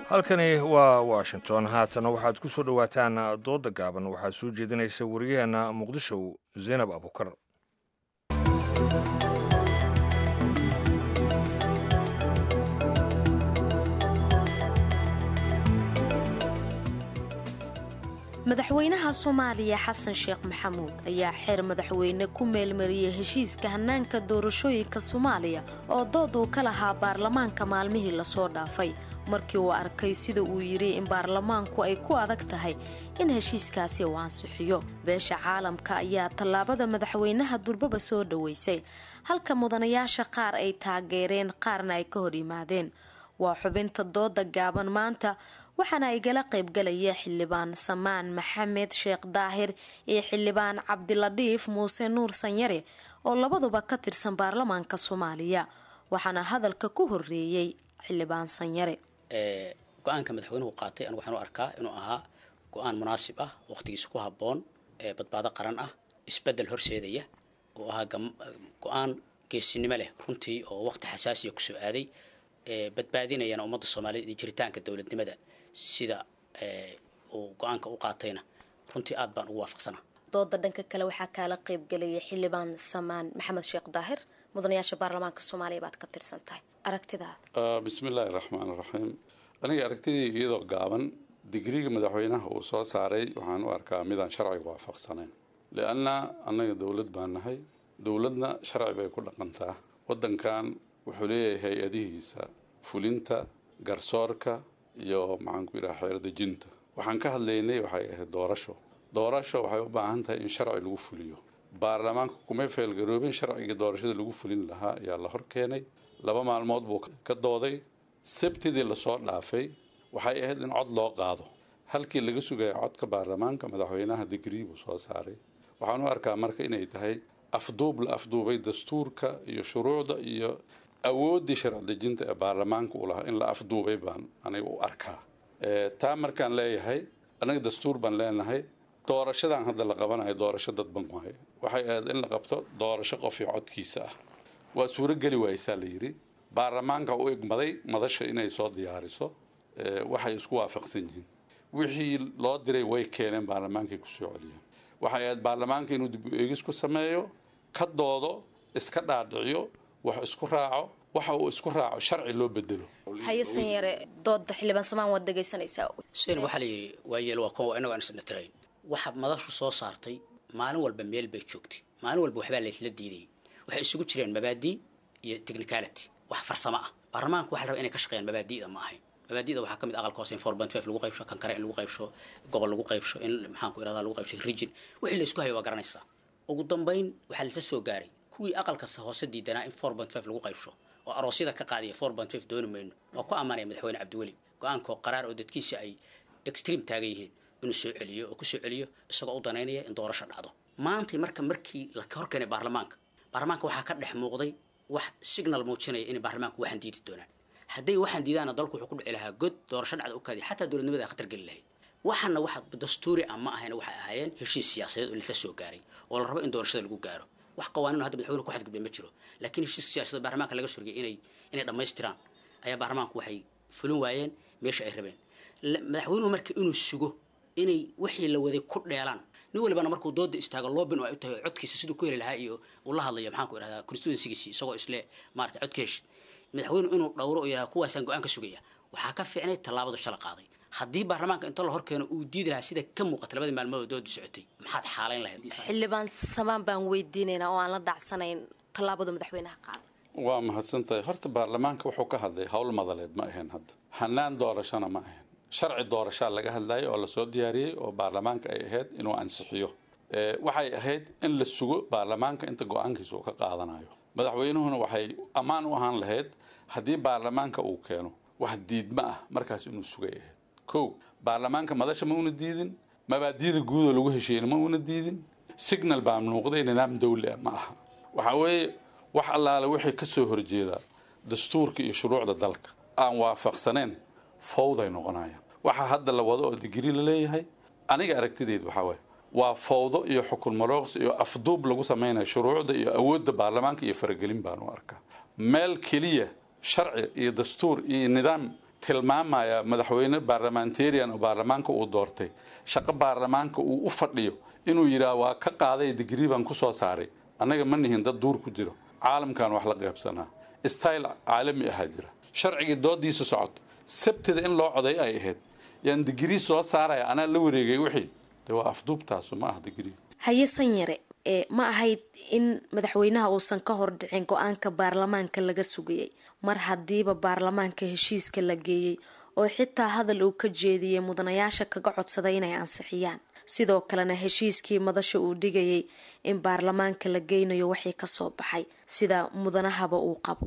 Halkani waa Washington. Haatana waxaad ku soo dhowaataan dooda gaaban. Waxaa soo jeedinaysa wariyaheenna Muqdisho, Zaynab Abukar. Madaxweynaha Soomaaliya Xasan Sheekh Maxamuud ayaa xeer madaxweyne ku meelmariyey heshiiska hannaanka doorashooyinka Soomaaliya oo dood uu ka lahaa baarlamaanka maalmihii lasoo dhaafay, markii uu arkay sida uu yidhi in baarlamaanku ay ku adag tahay in heshiiskaasi uu ansixiyo. Beesha caalamka ayaa tallaabada madaxweynaha durbaba soo dhoweysay, halka mudanayaasha qaar ay taageereen, qaarna ay ka hor yimaadeen. Waa xubinta dooda gaaban maanta, waxaana igala qaybgalaya Xildhibaan Samaan Maxamed Sheekh Daahir iyo Xildhibaan Cabdiladhiif Muuse Nuur Sanyare oo labaduba ka tirsan baarlamaanka Soomaaliya. Waxaana hadalka ku horeeyey Xildhibaan Sanyare. Go-aanka madaxweynuhu qaatay anigu waxaan u arkaa inuu ahaa go-aan munaasib ah, waqtigiisa ku habboon, badbaado qaran ah, isbedel horseedaya oo ahaa go-aan geesinimo leh runtii, oo waqti xasaasiya kusoo aaday, badbaadinayana ummadda Soomaaliyeed iyo jiritaanka dowladnimada. Sida uu go-aanka u qaatayna runtii aad baan ugu waafaqsanaa. Dooda dhanka kale waxaa kaala qaybgalaya Xildhibaan Samaan Maxamed Sheekh Daahir. Mudanayaasha baarlamaanka Soomaaliya baad ka tirsan tahay, aragtidaada? Bismi illaahi raxmaan raxiim. Aniga aragtidii iyadoo gaaban, digriga madaxweynaha uu soo saaray waxaan u arkaa midaan sharciga waafaqsanayn, lianna annaga dowlad baan nahay, dowladna sharci bay ku dhaqantaa. Waddankan wuxuu leeyahay hay-adihiisa fulinta, garsoorka iyo maxaan ku yidhaha xeerdejinta. Waxaan ka hadlaynay waxay ahayd doorasho. Doorasho waxay u baahan tahay in sharci lagu fuliyo. Baarlamaanka kumay feelgaroobin sharcigii doorashada lagu fulin lahaa ayaa la hor keenay. 2 maalmood buu ka dooday. Sabtidii lasoo dhaafay waxay ahayd in cod loo qaado. Halkii laga sugaya codka baarlamaanka, madaxweynaha digrii buu soo saaray. Waxaan u arkaa marka inay tahay afduub la afduubay dastuurka iyo shuruucda iyo awooddii sharci dejinta ee baarlamaanka uu lahaa in la afduubay baan aniga u arkaa. Taa markaan leeyahay, anaga dastuur baan leenahay. Doorashadan hadda la qabanayo doorasho dadban waaye. Waxay ahayd in la qabto doorasho qof iyo codkiisa ah. Waa suurogeli waaysaa la yidhi. Baarlamaanka u igmaday madasha inay soo diyaariso waxay isku waafaqsan yihiin. Wixii loo diray way keeneen, baarlamaankay kusoo celiyeen. Waxay ahayd baarlamaanka inuu dib u eegis ku sameeyo, ka doodo, iska dhaadhiciyo. Wax isku raaco, waxa uu isku raaco sharci loo bedelo. Haye Sanyare, dooda xildhibaan Samaan waad dhegaysanaysaa. Sen waxaa la yidhi waayeel waa kuwa inagoo aan isdhatirayn. Waxa madashu soo saartay maalin walba meel bay joogtay, maalin walba waxbaa laysla diidayay. Waxay isugu jireen mabaadii iyo technicality, wax farsamo ah. Baarlamaanku waxa la rabaa inay ka shaqeeyaan mabaadi'da, ma ahayn. Mabaadi'da waxaa ka mid aqalka hoose in 4.5 lagu qaybsho, kan kale in lagu qaybsho gobol, lagu qaybsho in maxaan ku irahdaa lagu qaybsho region. Wixii la isku hayo waa garanaysaa. Ugu dambayn waxaa laisla soo gaaray kuwii aqalka hoose diidanaa in 4.5 lagu qaybsho oo aroosyada ka qaadaya 4.5 dooni mayno. Waa ku ammaanaya madaxweyne Cabdiweli go-aankoo qaraar oo dadkiisa ay extreme taagan yihiin inuu soo celiyo oo kusoo celiyo isagoo u danaynaya in doorasho dhacdo maantay. Marka markii la horkeenay baarlamaanka, baarlamaanka waxaa ka dhex muuqday wax signal muujinaya inay baarlamaanku waxaan diidi doonaan. Hadday waxaan diidaana, dalku wuxuu ku dhici lahaa god doorasho dhacda u kaadiya, xataa dowladnimada khatar geli lahayd. Waxaana waxa dastuuri ah ma ahayn, waxay ahaayeen heshiis siyaasadeed oo laisla soo gaaray oo la rabo in doorashada lagu gaaro. Wax qawaaniin hadda madaxweyne ku xadgudbay ma jiro, laakiin heshiiska siyaasadeed baarlamaanka laga surgay inay dhammaystiraan ayaa baarlamaanku waxay fulin waayeen meesha ay rabeen. Madaxweynuhu marka inuu sugo inay wixii la waday ku dheelaan, nin walibana markuu dooda istaago loobin oo ay u tahay codkiisa siduu ku heli lahaa iyo uu la hadlayo maxaan ku idhahdaa constituencygiisi, isagoo isle maarata codka hesh, madaxweynuhu inuu dhowro oo yidhahda kuwaasaan go-aan ka sugaya waxaa ka fiicnay tallaabada shala qaaday. Haddii baarlamaanka inta la horkeeno uu diidi lahaa sida ka muuqata labadii maalmood oo doodu socotay, maxaad xaalayn lahayd? Xildhibaan Samaan baan weydiinaynaa oo aan la dhacsanayn tallaabada madaxweynaha qaaday. Waa mahadsan tahay. Horta baarlamaanka wuxuu ka hadlay howl madaleed ma ahayn, hadda hanaan doorashona ma ahayn. Sharci doorashaa laga hadlayay oo lasoo diyaariyey oo baarlamaanka ay ahayd inuu ansixiyo. Waxay ahayd in la sugo baarlamaanka inta go-aankiisa uu ka qaadanayo. Madaxweynuhuna waxay ammaan u ahaan lahayd haddii baarlamaanka uu keeno wax diidma ah, markaas inuu sugay ahayd. Kow, baarlamaanka madasha ma una diidin, mabaadiida guudoo lagu heshiiyeyna ma una diidin. Signal baa muuqday, nidaam dawli ah ma aha. Waxaa weeye wax allaale wixii ka soo horjeeda dastuurka iyo shuruucda dalka aan waafaqsaneen fawday noqonayaan. Waxaa hadda la wado oo digrii la leeyahay, aniga aragtidaydu waxaa waaye waa fawdo iyo xukun marooqs iyo afduub lagu samaynayo shuruucda iyo awoodda baarlamaanka iyo faragelin baan u arkaa. Meel keliya sharci iyo dastuur iyo nidaam tilmaamaya madaxweyne baarlamentarian oo baarlamaanka uu doortay, shaqo baarlamaanka uu u fadhiyo, inuu yidhaah waa ka qaaday, digrii baan ku soo saaray. Annaga ma nihin dad duur ku jiro, caalamkan wax la qaybsanaa, style caalami ahaa jira. Sharcigii doodiisa socoto, Sabtida in loo coday ay ahayd, yaan digrii soo saaraya, anaa la wareegay wixii de waa afduubtaasu ma ah digrii. Haye Sanyare, ee ma ahayd in madaxweynaha uusan ka hor dhicin go-aanka baarlamaanka laga sugayay mar haddiiba baarlamaanka heshiiska la geeyey oo xitaa hadal uu ka jeediyey mudanayaasha kaga codsaday inay ansixiyaan, sidoo kalena heshiiskii madasha uu dhigayay in baarlamaanka la geynayo waxii kasoo baxay sida mudanahaba uu qabo?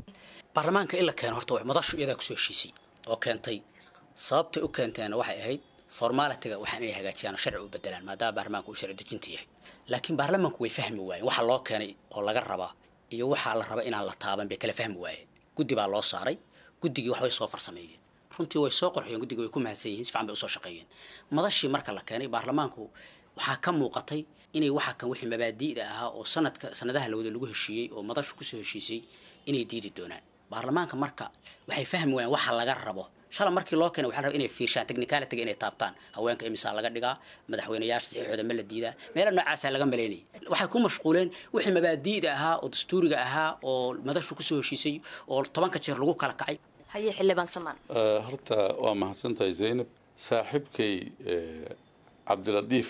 Baarlamaanka in la keeno horta madashu iyadaa kusoo heshiisay oo keentay. Sababtay u keenteena waxay ahayd formalityga, waxaan inay hagaajiyaan oo sharci u bedelaan maadaama baarlamaanka uu sharci dejinta yahay. Laakiin baarlamaanku way fahmi waayeen waxa loo keenay oo laga rabaa iyo waxaa la rabaa inaan la taaban bay kala fahmi waayeen. Guddi baa loo saaray, guddigii waxbay soo farsameeyeen, runtii way soo qorxiyeen, guddiga way ku mahadsan yihiin, si fiican bay usoo shaqeeyeen. Madashii marka la keenay baarlamaanku waxaa ka muuqatay inay waxa kan wixii mabaadi'da ahaa oo sanadka sanadaha lawada lagu heshiiyey oo madashu kusoo heshiisay inay diidi doonaan. Baarlamaanka marka waxay fahmi waayeen waxa laga rabo. Shala markii loo keenay waxaa la rabaa inay fiirshaan technicality, inay taabtaan haweenka imisaa laga dhigaa, madaxweyneyaasha saxiixooda ma la diidaa, meelo noocaasaa laga malaynayay. Waxay ku mashquuleen wixii mabaadi'da ahaa oo dastuuriga ahaa oo madashu kusoo heshiisay oo 10-ka jeer lagu kala kacay. Haye xildhibaan Samaan. Horta waa mahadsantahay Zaynab. Saaxiibkay Cabdilatiif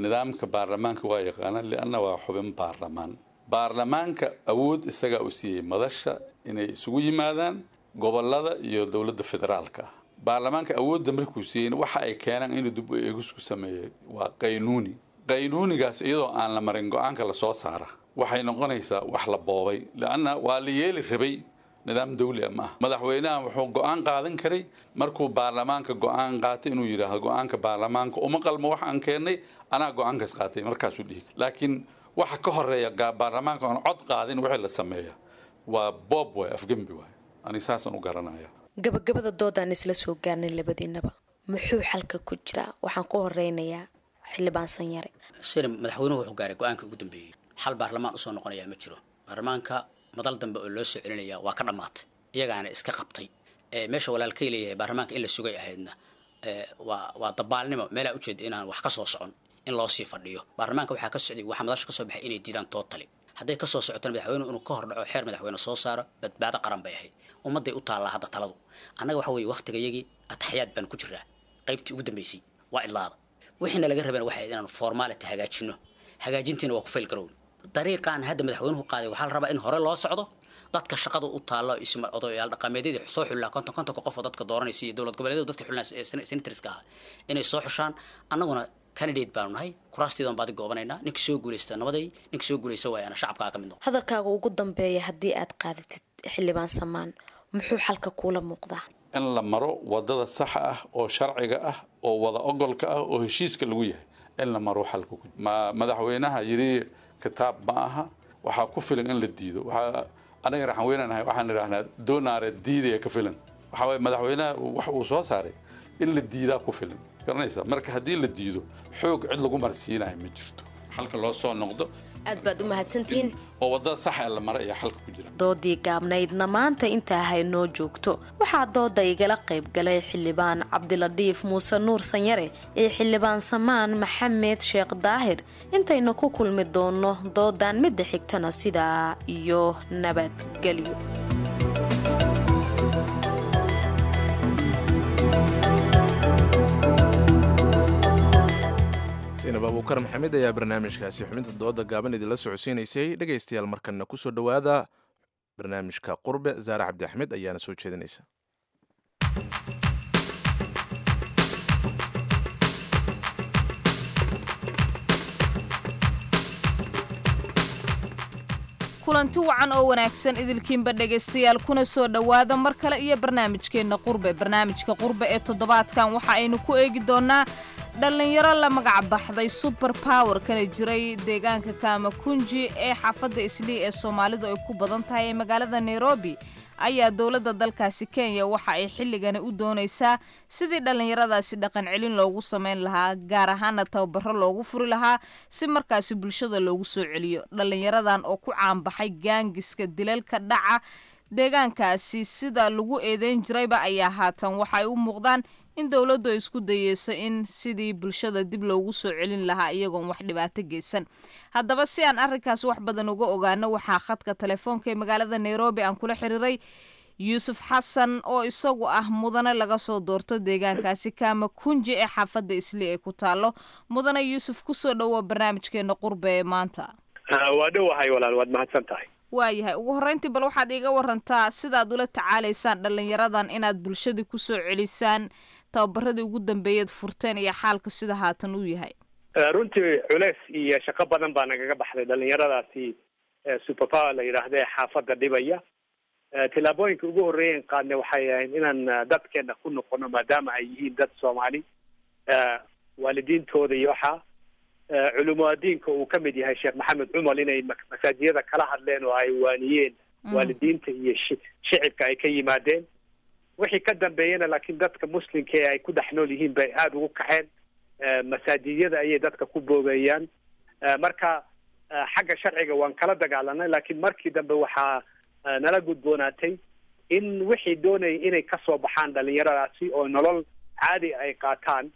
nidaamka baarlamaanka waa yaqaanaa, lianna waa xubin baarlamaan. Baarlamaanka awood isagaa u siiyey madasha inay isugu yimaadaan gobolada iyo dowladda federaalka ah. Baarlamaanka awoodda markuu siiyeyna, waxa ay keenaan inuu dib u eegis ku sameeyey waa qaynuuni. Qaynuunigaas iyadoo aan la marin go-aanka lasoo saara waxay noqonaysaa wax la boobay, lianna waa la yeeli rabay. Nidaam dawli ah ma aha. Madaxweynaha wuxuu go-aan qaadan karay markuu baarlamaanka go-aan qaatay inuu yidhaahdo go-aanka baarlamaanka uma qalmo wax aan keennay, anaa go-aankaas qaatay, markaasuu dhihi. Laakiin waxa ka horeeya baarlamaanka oon cod qaadin wixii la sameeya waa boob waay, afgembi waay. Ani saasaan u garanaya. Gabagabada doodaan isla soo gaarnay. Labadiinaba muxuu xalka ku jiraa? Waxaan ku horeynayaa xildhibaan Sanyare. Sina madaxweynuhu wuxuu gaaray go-aanka ugu dambeeyey, xal baarlamaan usoo noqonayaa ma jiro. Baarlamaanka madal dambe oo loo soo celinaya waa ka dhammaatay, iyagaana iska qabtay. Meesha walaalkay leeyahay baarlamaanka in la sugay ahaydna waa dabaalnimo. Meelaa ujeeda inaan wax ka soo socon in loo sii fadhiyo baarlamaanka waxaa ka socday, waxaa madasha ka soo baxay inay diidaan totally. Hadday kasoo socotana madaxweynuhu inuu ka hor dhaco, xeer madaxweyne soo saaro, badbaado qaran bay ahayd. Ummadday u taallaa hadda taladu. Annaga waxa weeye waqtigayagii ataxyaad baan ku jiraa, qaybtii ugu dambeysay waa idlaada. Wixiina laga rabeen waxay ahayd inaanu formality hagaajino, hagaajintiina waa ku fail garown. Dariiqaan hadda madaxweynuhu qaaday waxaa la rabaa in hore loo socdo. Dadka shaqada u taalla, isma odayaal dhaqameedyadii soo xulilaa 50-ka qof oo dadka dooranaysa iyo dowlad goboleedyada dadka xulinaa senatorska ah inay soo xushaan. Annaguna candidate baanu nahay, kuraastiidan baadi goobanaynaa. Ninka soo guulaysta nabaday, ninka soo guulaysta waayana shacabkaa ka mid noqo. Hadalkaaga ugu dambeeya haddii aad qaadatid, Xildhibaan Samaan, muxuu xalka kuula muuqdaa? In la maro wadada saxa ah oo sharciga ah oo wada ogolka ah oo heshiiska lagu yahay in la maro xalka ku ma madaxweynaha yidhi kitaab ma aha. Waxaa ku filan in la diido. Waxaa anaga raxan weynanahay, waxaan idhahnaa doonaare diidaya ka filan. Waxaa waye madaxweynaha wax uu soo saaray in la diidaa ku filan, garanaysa? Marka haddii la diido, xoog cid lagu marsiinayo ma jirto. Xalka loo soo noqdo. Aad baad u mahadsantihiin. Oo wadada saxa ee la maray ayaa xalka ku jira. Doodii gaabnaydna maanta intaa haynoo joogto. Waxaa dooda igala qayb galay Xildhibaan Cabdiladiif Muuse Nuur Sanyare iyo Xildhibaan Samaan Maxamed Sheekh Daahir. Intaynu ku kulmi doono doodan midda xigtana, sidaa iyo nabadgelyo. Saynab Abuukar Maxamed ayaa barnaamijkaasi xubinta dooda gaaban idinla socodsiinaysay. Dhegaystayaal, markanna kusoo dhowaada barnaamijka Qurbe. Zaare Cabdi Axmed ayaana soo jeedinaysa. Kulanti wacan oo wanaagsan idilkiinba, dhegaystayaal, kuna soo dhowaada mar kale iyo barnaamijkeenna Qurbe. Barnaamijka Qurbe ee toddobaadkan waxa aynu ku eegi doonnaa dhallinyaro la magac baxday Super Power, kana jiray deegaanka Kaamakunji ee xaafadda Islii ee Soomaalidu ay ku badan tahay ee magaalada Nairobi, ayaa dowladda dalkaasi Kenya waxa ay xilligani u doonaysaa sidii dhallinyaradaasi dhaqan celin loogu sameyn lahaa, gaar ahaana tababaro loogu furi lahaa si markaasi bulshada loogu soo celiyo. Dhallinyaradan oo ku caanbaxay gaangiska, dilalka dhaca deegaankaasi sida lagu eedeyn jirayba, ayaa haatan waxa ay u muuqdaan in dowladdu ay isku dayeyso in sidii bulshada dib loogu soo celin lahaa iyagoon wax dhibaato geysan. Haddaba, si aan arrinkaas wax badan uga ogaano, waxaa khadka telefoonka ee magaalada Nairobi aan kula xiriiray Yuusuf Xasan oo isagu ah mudane laga soo doorto deegaankaasi Kaamakunji ee xaafadda Islii ay ku taalo. Mudane Yuusuf, kusoo dhowo barnaamijkeena Qurbe ee maanta. Waa dhowahay walaal, waad mahadsan tahay. Waayahay, ugu horreyntii bal waxaad iiga warantaa sidaad ula tacaalaysaan dhallinyaradan inaad bulshadii kusoo celisaan, tababaradii ugu dambeeyaad furteen iyo xaalka sida haatan uu yahay. Runtii culeys iyo shaqo badan baa nagaga baxday dhalinyaradaasi Superpower la yidhaahda ee xaafadda dhibaya. Tillaabooyinka ugu horreeyan qaadnay waxay ahayd inaan dadkeena ku noqono, maadaama ay yihiin dad Soomaali, waalidiintooda iyo waxaa culumaadiinka uu ka mid yahay Sheekh Maxamed Cumal, inay masaajiyada kala hadleen oo ay waaniyeen waalidiinta iyo shicibka ay ka yimaadeen. Wixii ka dambeeyena laakiin dadka muslimka ee ay ku dhex nool yihiin bay aada ugu kaceen, masaajiyada ayay dadka ku boobeeyaan. Marka xagga sharciga waan kala dagaalanay, laakiin markii dambe waxaa nala gudboonaatay in wixii doonayay inay kasoo baxaan dhalinyaradaasi oo nolol caadi ay qaataan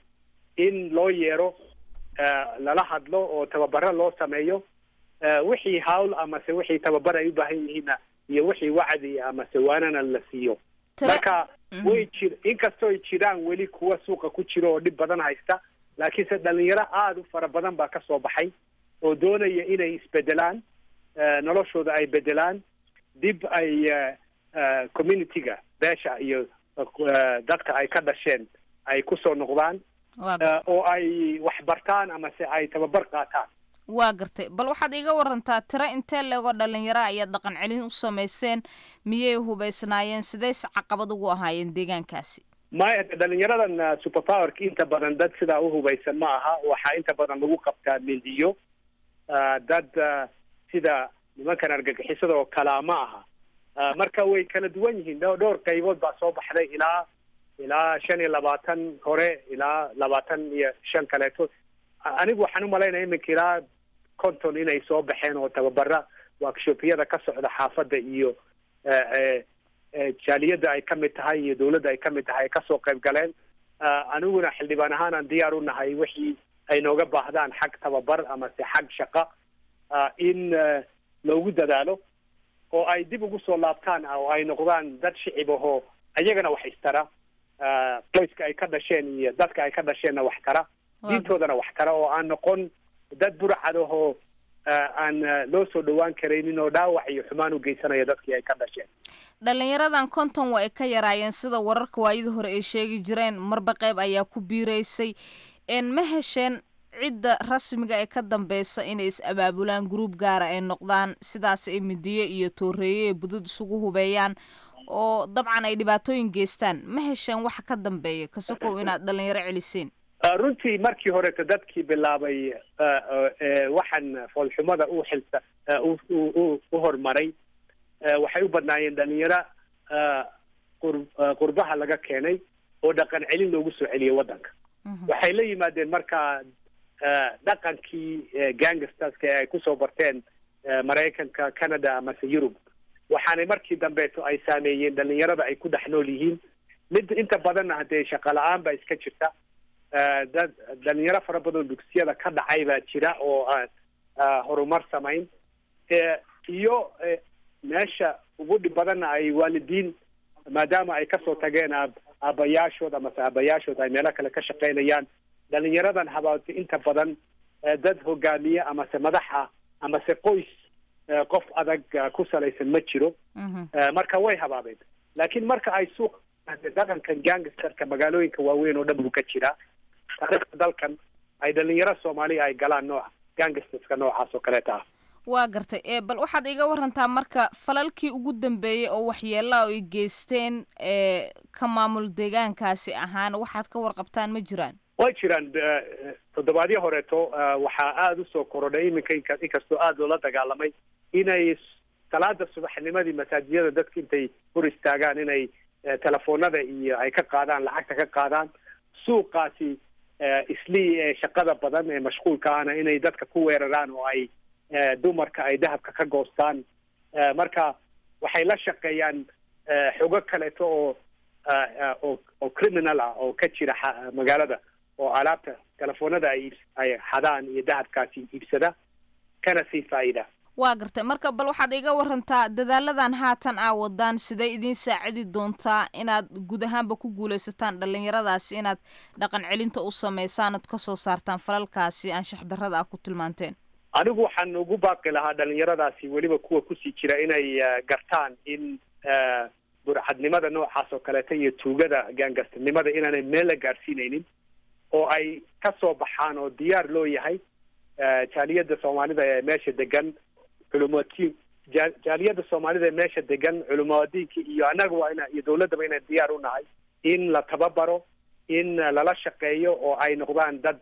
in loo yeero, lala hadlo oo tababaro loo sameeyo, wixii hawl amase wixii tababar ay u baahan yihiinna iyo wixii wacdi amase waanana la siiyo. Marka way jir inkastoo ay jiraan weli kuwa suuqa ku jiro oo dhib badan haysta, laakiinse dhalinyaro aada u fara badan baa kasoo baxay oo doonaya inay isbedelaan, noloshooda ay bedelaan, dib ay community-ga, beesha iyo dadka ay ka dhasheen ay kusoo noqdaan oo ay wax bartaan amase ay tababar qaataan. Waa gartay. Bal waxaad iiga warantaa tiro intee leegoo dhalinyaro ayaad dhaqan celin u samayseen? Miyay hubaysnaayeen? Sidayse caqabad ugu ahaayeen deegaankaasi? Maya, dhalinyaradan Superpowerka inta badan dad sidaa u hubaysan ma aha. Waxaa inta badan lagu qabtaa mindiyo. Dad sida nimankan argagixisada oo kalaa ma aha. Marka way kala duwan yihiin. Dhowr qaybood baa soo baxday, ilaa 25 hore, ilaa 25 kaleeto. Anigu waxaan umalaynaya iminka ilaa 50 inay soo baxeen oo tababara workshopyada ka socda xaafadda iyo jaaliyadda ay ka mid tahay iyo dawladda ay ka mid tahay ay kasoo qayb galeen. Aniguna xildhibaan ahaan aan diyaar u nahay wixii ay nooga baahdaan xag tababar amase xag shaqa in loogu dadaalo oo ay dib ugu soo laabtaan oo ay noqdaan dad shicib ahoo ayagana wax istara, qoyska ay ka dhasheen iyo dadka ay ka dhasheenna wax tara, diintoodana wax tara, oo aan noqon dad burcad ahoo aan loo soo dhowaan karaynin oo dhaawac iyo xumaan u geysanaya dadkii ay ka dhasheen. Dhallinyaradan 50 waa ay ka yaraayeen sida wararka waayadii hore ay sheegi jireen, marba qayb ayaa ku biiraysay. Ma hesheen cidda rasmiga ee ka dambeysa inay is-abaabulaan, gruub gaara ay noqdaan, sidaas ay midiyo iyo tooreeyo iyo budud isugu hubeeyaan oo dabcan ay dhibaatooyin geystaan? Ma hesheen waxa ka dambeeya kasokow inaad dhalinyaro celiseen? Runtii markii horeeto dadkii bilaabay waxaan foolxumada u xilsa u horumaray waxay u badnaayeen dhalinyaro qurbaha laga keenay oo dhaqan celin loogu soo celiyay waddanka. Waxay la yimaadeen markaa dhaqankii gangsterska ee ay kusoo barteen Maraykanka, Canada amase Yurub. Waxaanay markii dambeeto ay saameeyeen dhalinyarada ay ku dhex nool yihiin. Mid inta badanna haddee shaqo la-aan baa iska jirta, dad dhalinyaro fara badan dugsiyada ka dhacay baa jira oo aan horumar samayn, iyo meesha ugu dhib badanna ay waalidiin maadaama ay kasoo tageen aabayaashood amase aabayaashood ay meelo kale ka shaqaynayaan. Dhalinyaradan habaatay inta badan dad hogaamiye amase madax ah amase qoys qof adag ku salaysan ma jiro, marka way habaabeen. Laakiin marka ay suuq dhaqankan gangsterka magaalooyinka waaweyn oo dhan buu ka jiraa, taariikhda dalkan ay dhalinyaro Soomaaliya ay galaan nooca gangsterska noocaas oo kaleeta ah. Waa gartay. Bal waxaad iga warantaa marka falalkii ugu dambeeyey oo waxyeelaa ay geysteen ka maamul deegaankaasi ahaan, waxaad ka warqabtaan ma jiraan? Way jiraan. Toddobaadyo horeeto waxaa aada usoo korodhay iminka, inkastoo aada loola dagaalamay, inay salaada subaxnimadii masaajiyada dadka intay hor istaagaan inay telefoonada iyo ay ka qaadaan, lacagta ka qaadaan. Suuqaasi Islii ee shaqada badan ee mashquulka ahna inay dadka ku weeraraan oo ay dumarka ay dahabka ka goostaan. Marka waxay la shaqeeyaan xogo kaleeto oo oo criminal ah oo ka jira magaalada, oo alaabta telefoonada ay xadaan iyo dahabkaasi iibsada kana sii faa'iida. Waa gartay. Marka bal waxaad iga warantaa dadaaladan haatan aa wadaan sidee idiin saacidi doontaa inaad guud ahaanba ku guuleysataan dhalinyaradaasi inaad dhaqan celinta u sameysaan ood kasoo saartaan falalkaasi anshax darrada ah ku tilmaanteen? Anigu waxaan ugu baaqi lahaa dhalinyaradaasi, weliba kuwa kusii jira, inay gartaan in burcadnimada noocaas oo kaleeta iyo tuugada gaangastinimada inaanay meel la gaadhsiinaynin oo ay ka soo baxaan oo diyaar loo yahay jaaliyadda Soomaalida ee meesha degan, culumaatiin jaaliyadda Soomaalida ee meesha degan, culumadiinka iyo annaga waa ina iyo dawladdaba inaan diyaar u nahay in la tababaro, in lala shaqeeyo oo ay noqdaan dad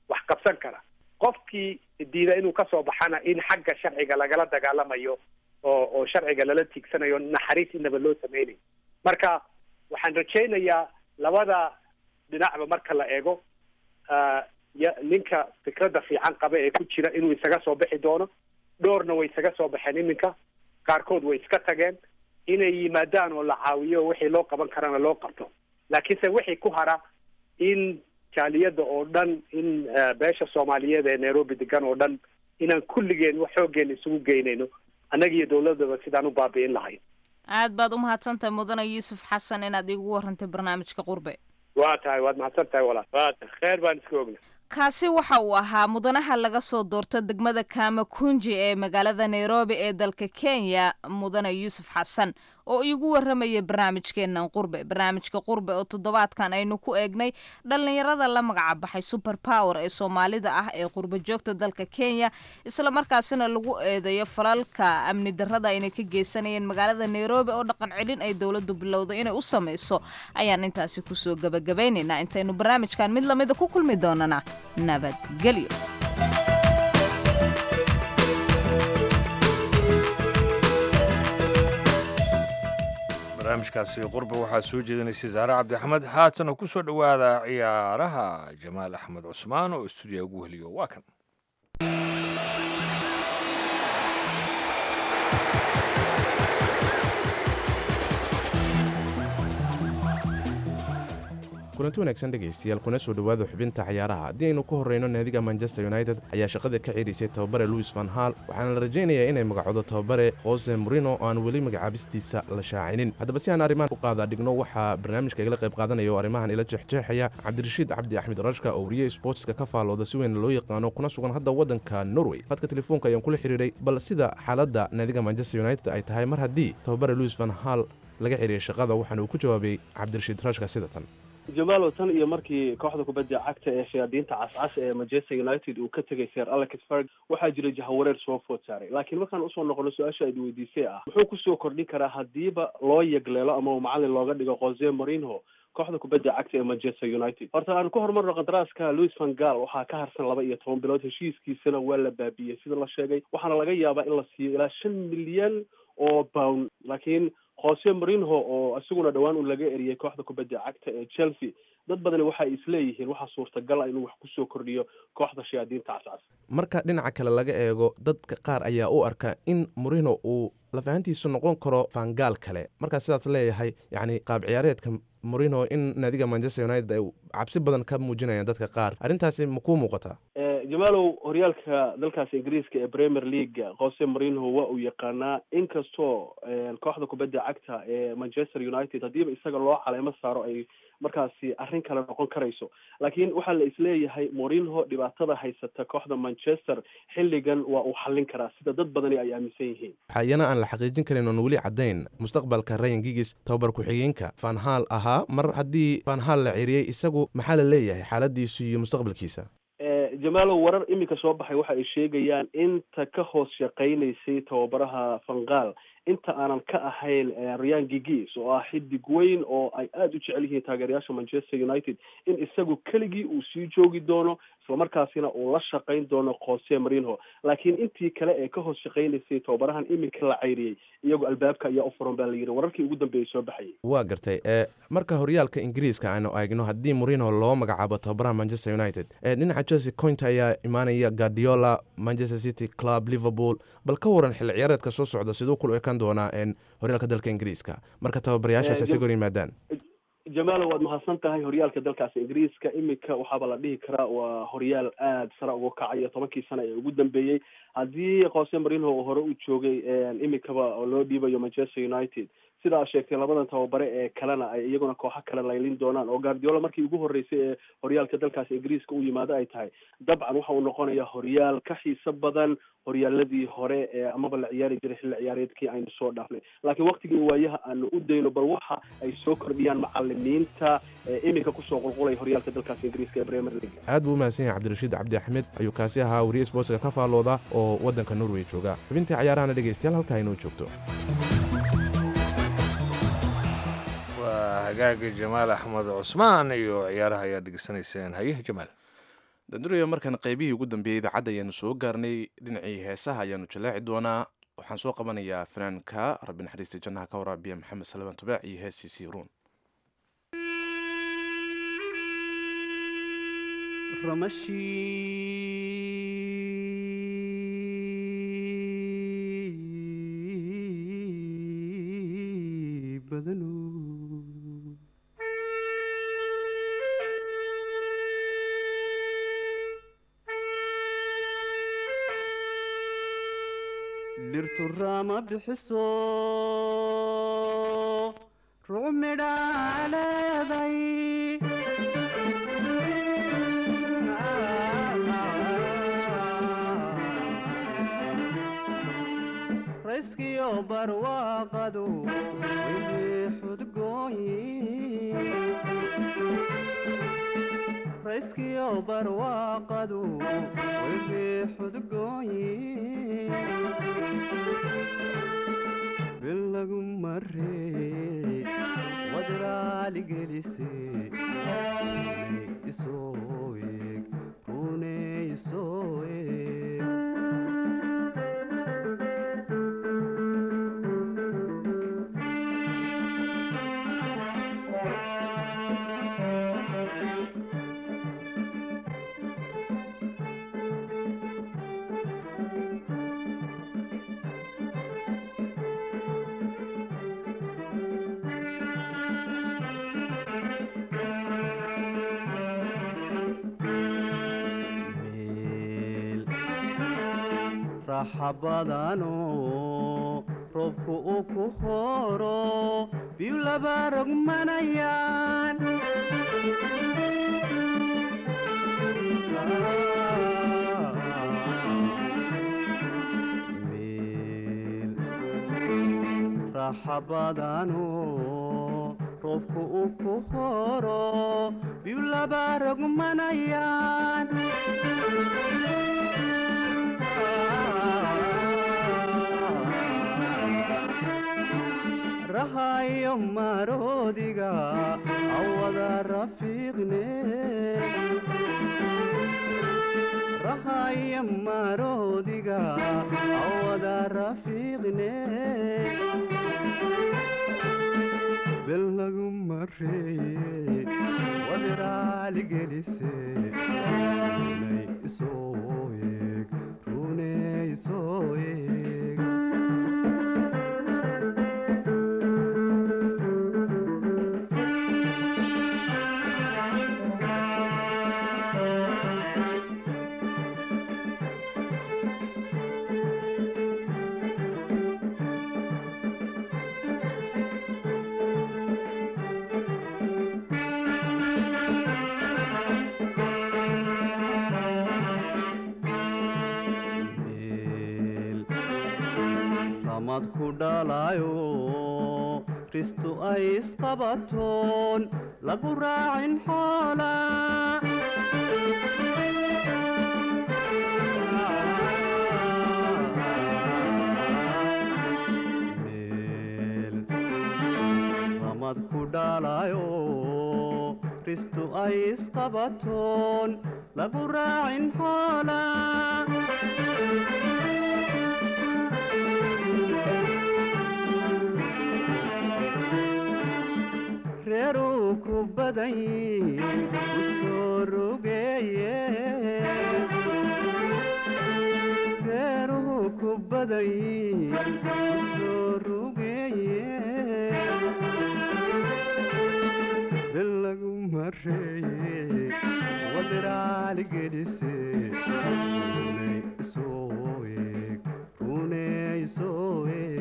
wax qabsan kara. Qofkii diida inuu kasoo baxana in xagga sharciga lagala dagaalamayo oo sharciga lala tiigsanayo, naxariis inaba loo sameynayo. Marka waxaan rajaynayaa labada dhinacba marka la eego, ninka fikradda fiican qaba ee ku jira inuu isaga soo bixi doono. Dhowrna way isaga soo baxeen iminka, qaarkood way iska tageen, inay yimaadaan oo la caawiyo, wixii loo qaban karana loo qabto. Laakiinse wixii ku hara in jaaliyadda oo dhan, in beesha Soomaaliyeed ee Nairobi degan oo dhan, inaan kulligeen wax xooggeena isugu geynayno annaga iyo dawladdaba sidaan u baabi'in lahayn. Aad baad u mahadsantahay mudane Yuusuf Xasan inaad iigu warantay barnaamijka Qurbe. Waa tahay, waad mahadsan tahay walaal, waa tahay, kheer baan iska ogna. Kaasi waxa uu ahaa mudanaha laga soo doorto degmada Kamakunji ee magaalada Nairobi ee dalka Kenya, mudane Yuusuf Xasan, oo iigu warramayay barnaamijkeennan Qurbe. Barnaamijka Qurbe oo toddobaadkan aynu ku eegnay dhallinyarada la magaca baxay Super Power ee Soomaalida ah ee qurbo joogta dalka Kenya, islamarkaasina lagu eedeeyo falalka amni darrada aynay ka geysanayeen magaalada Nairobi oo dhaqan celin ay dowladdu bilowday inay u sameyso, ayaan intaasi kusoo gabagabaynaynaa. Intaynu barnaamijkan mid lamida ku kulmi doonana, nabadgelyo. Barnaamijkaasi Qurba waxaa soo jeedinaysay Saare Cabdi Axmed. Haatana ku soo dhowaada ciyaaraha, Jamaal Axmed Cusmaan oo istuudiya ugu heliyo waa kan. Kulanti wanaagsan dhegaystayaal, kuna soo dhowaada xubinta cayaaraha. Haddii aynu ku horreyno, naadiga Manchester United ayaa shaqada ka ceerisay tababare Louis van Gaal, waxaana la rajaynayaa inay magacoodo tababare Jose Mourinho oo aan weli magacaabistiisa la shaacinin. Haddaba si aan arrimahan u qaada dhigno, waxaa barnaamijka igala qayb qaadanaya oo arrimahan ila jeexjeexaya Cabdirashiid Cabdi Axmed Rashka oo wariye sportska ka faalooda, si weyn loo yaqaano, kuna sugan hadda waddanka Norway. Khadka telefoonka ayaan kula xiriiray bal sida xaaladda naadiga Manchester United ay tahay mar haddii tababare Louis van Gaal laga xiriiray shaqada, waxaana uu ku jawaabay Cabdirashiid Rashka sida tan. Jamaalow, tan iyo markii kooxda kubadda cagta ee shayaadiinta cascas ee Manchester United uu ka tegay Sir Alex Ferguson, waxaa jiray jahawareer soo food saaray. Laakiin markaan usoo noqono su-aasha aad weydiisay ah muxuu kusoo kordhin karaa haddiiba loo yagleelo ama uu macalin looga dhigo Jose Mourinho kooxda kubadda cagta ee Manchester United, horta aan ku horumarno qandaraaska Louis van Gaal. Waxaa ka harsan 12 bilood, heshiiskiisana waa la baabiyey sida la sheegay, waxaana laga yaabaa in la siiyo ilaa 5 milyan oo pound. Laakiin Jose Mourinho oo isaguna dhowaan uu laga eriyey kooxda kubadda cagta ee Chelsea, dad badani waxay isleeyihiin waxaa suurtagal ah inuu wax kusoo kordhiyo kooxda shayaadiinta cascas. Marka dhinaca kale laga eego, dadka qaar ayaa u arka in Mourinho uu lafahantiisu noqon karo Van Gaal kale. Markaa sidaas leeyahay, yacni qaab ciyaareedka Mourinho in naadiga Manchester United ay cabsi badan ka muujinayaan dadka qaar, arrintaasi ma kuu muuqataa? Jamaalow, horyaalka dalkaas Ingiriiska ee Premier League Jose Mourinho waa uu yaqaanaa, inkastoo kooxda kubadda cagta ee Manchester United haddiiba isaga loo caleemo saaro ay markaasi arrin kale noqon karayso. Laakiin waxaa la isleeyahay Mourinho dhibaatada haysata kooxda Manchester xilligan waa uu xallin karaa, sida dad badani ay aaminsan yihiin. Waxaa iyana aan la xaqiijin karin oon weli caddayn mustaqbalka Ryan Giggs, tababar ku-xigeenka Van Gaal ahaa. Mar haddii Van Gaal la ceeriyey, isagu maxaa la leeyahay xaaladiisu iyo mustaqbalkiisa? Jamaalow, warar iminka soo baxay waxa ay sheegayaan inta ka hoos shaqaynaysay tababaraha Van Gaal, inta aanan ka ahayn Ryan Giggs oo ah xidig weyn oo ay aada u jecel yihiin taageerayaasha Manchester United, in isagu keligii uu sii joogi doono, islamarkaasina uu la shaqayn doono Jose Mourinho. Laakiin intii kale ee ka hoos shaqaynaysay tababarahan iminka la cayriyey, iyagu albaabka ayaa u furan baa la yidhi, wararkii ugu dambeeyay soo baxayay. Waa gartay. Marka horyaalka Ingiriiska aanu eegno, haddii Mourinho loo magacaabo tababaraha Manchester United, dhinaca Chelsea Conte ayaa imaanaya, Guardiola, Manchester City Club, Liverpool. Bal ka waran xilli ciyaareedka soo socda, siduu kula ekaan doonaa horyaalka dalka Ingiriiska marka tababarayaashaas ay hor yimaadaan? Jamaalo, waad mahadsan tahay. Horyaalka dalkaas Ingiriiska iminka waxaaba la dhihi karaa waa horyaal aada sare uga kacayo 10kii sano ee ugu dambeeyey. Haddii Jose Mourinho uu hore u joogay, iminkaba oo loo dhiibayo Manchester United, sida aad sheegtay, labadan tababare ee kalena ay iyaguna kooxo kale laylin doonaan, oo Guardiola markii ugu horreysay ee horyaalka dalkaas Ingiriiska u yimaado ay tahay, dabcan waxa uu noqonayaa horyaal ka xiiso badan horyaaladii hore ee amaba la ciyaari jiray xilli ciyaareedkii aynu soo dhaafnay. Laakiin waqtigii waayaha aanu u dayno bal waxa ay soo kordhiyaan macalimiinta ee iminka kusoo qulqulaya horyaalka dalkaas Ingiriiska ee Premier League. Aad buu u mahadsan yahay Cabdirashiid Cabdi Axmed ayuu kaasi ahaa, wariye sportska ka faallooda oo waddanka Norway jooga. Xubintii cayaarahana, dhegaystayaal, halkaa inoo joogto. Waa hagaagi, Jamaal Axmed Cusmaan iyo ciyaaraha ayaad dhegeysanayseen. Haye Jamaal. Danduriyo, markaan qaybihii ugu dambeeyey idaacadda ayaanu soo gaarnay, dhinacii heesaha ayaanu jaleeci doonaa. Waxaan soo qabanayaa fanaanka, rabbi naxariista jannaha ka waraabiya, Maxamed Salebaan Tubaac iyo heesiisii Ruun. Ramashii badanu dhirtu rama bixiso, ruc midhaa leeday. Rayskiyo barwaaqadu wili xudgooyi, rayskiyo barwaaqadu wili xudgooyi, bil lagu maree wadraali gelise, runay isoo eeg, runay isoo eeg. Raaxa badano roobku uu ku horo biyu laba rogmanayaan. Meel raaxa badano roobku uu ku horo biyu laba rogmanayaan. Rahayo maroodiga awada rafiiqne, rahayo maroodiga awada rafiiqne, bel lagu mareeye wadiraali gelise, runay isoo eeg, runay isoo eeg. Meel ramad ku dhalayo ristu ay isqabatoon lagu raacin xoola. Meel ramad ku dhalayo ristu ay isqabatoon lagu raacin xoola. Reeruu ku badan yihiin u soo rogeeye, reeruhu ku badan yihiin u soo rogeeye, bil lagu mareeye wadiraali gelise, runay isoo eeg, runay isoo eeg.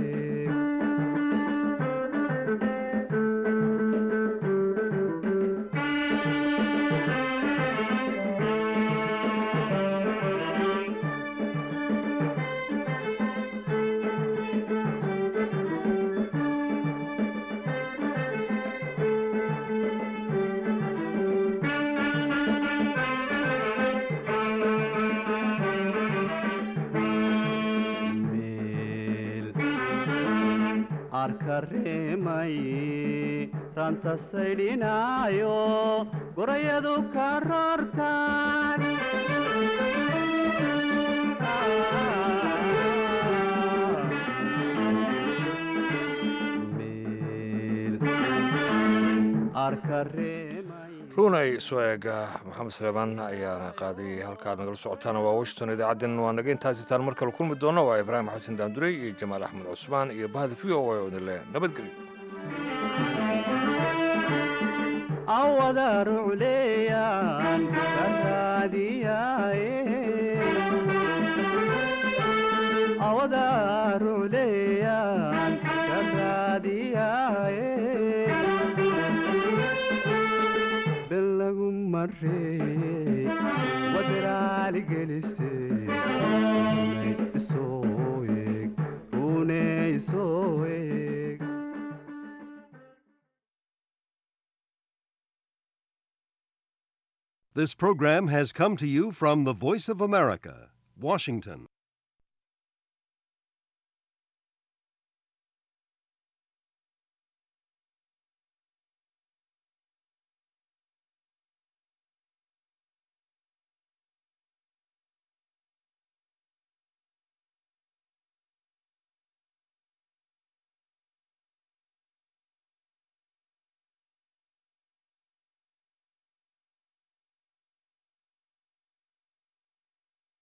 Meel arka reemay ranta saydhinaayo gorayadu ka roortaan. Meel arka reemay. Runay soo eega, Maxamed Saleebaan ayaana qaaday. Halkaad nagala socotaana waa Washington. Idaacaddeen waa naga intaasitaan mar kale kulmi doono. Waa Ibraahim Xasan Daamdurey iyo Jamaal Axmed Cusmaan iyo bahda v o a oo idin leh nabadgelyo. Awada rucleeyaan ka raadiyaaye, awada rucleeyaan ka raadiyaaye, bel lagu mareeye wadiraali gelise, runay isoo eeg, runay isoo eeg. This program has come to you from the Voice of America, Washington.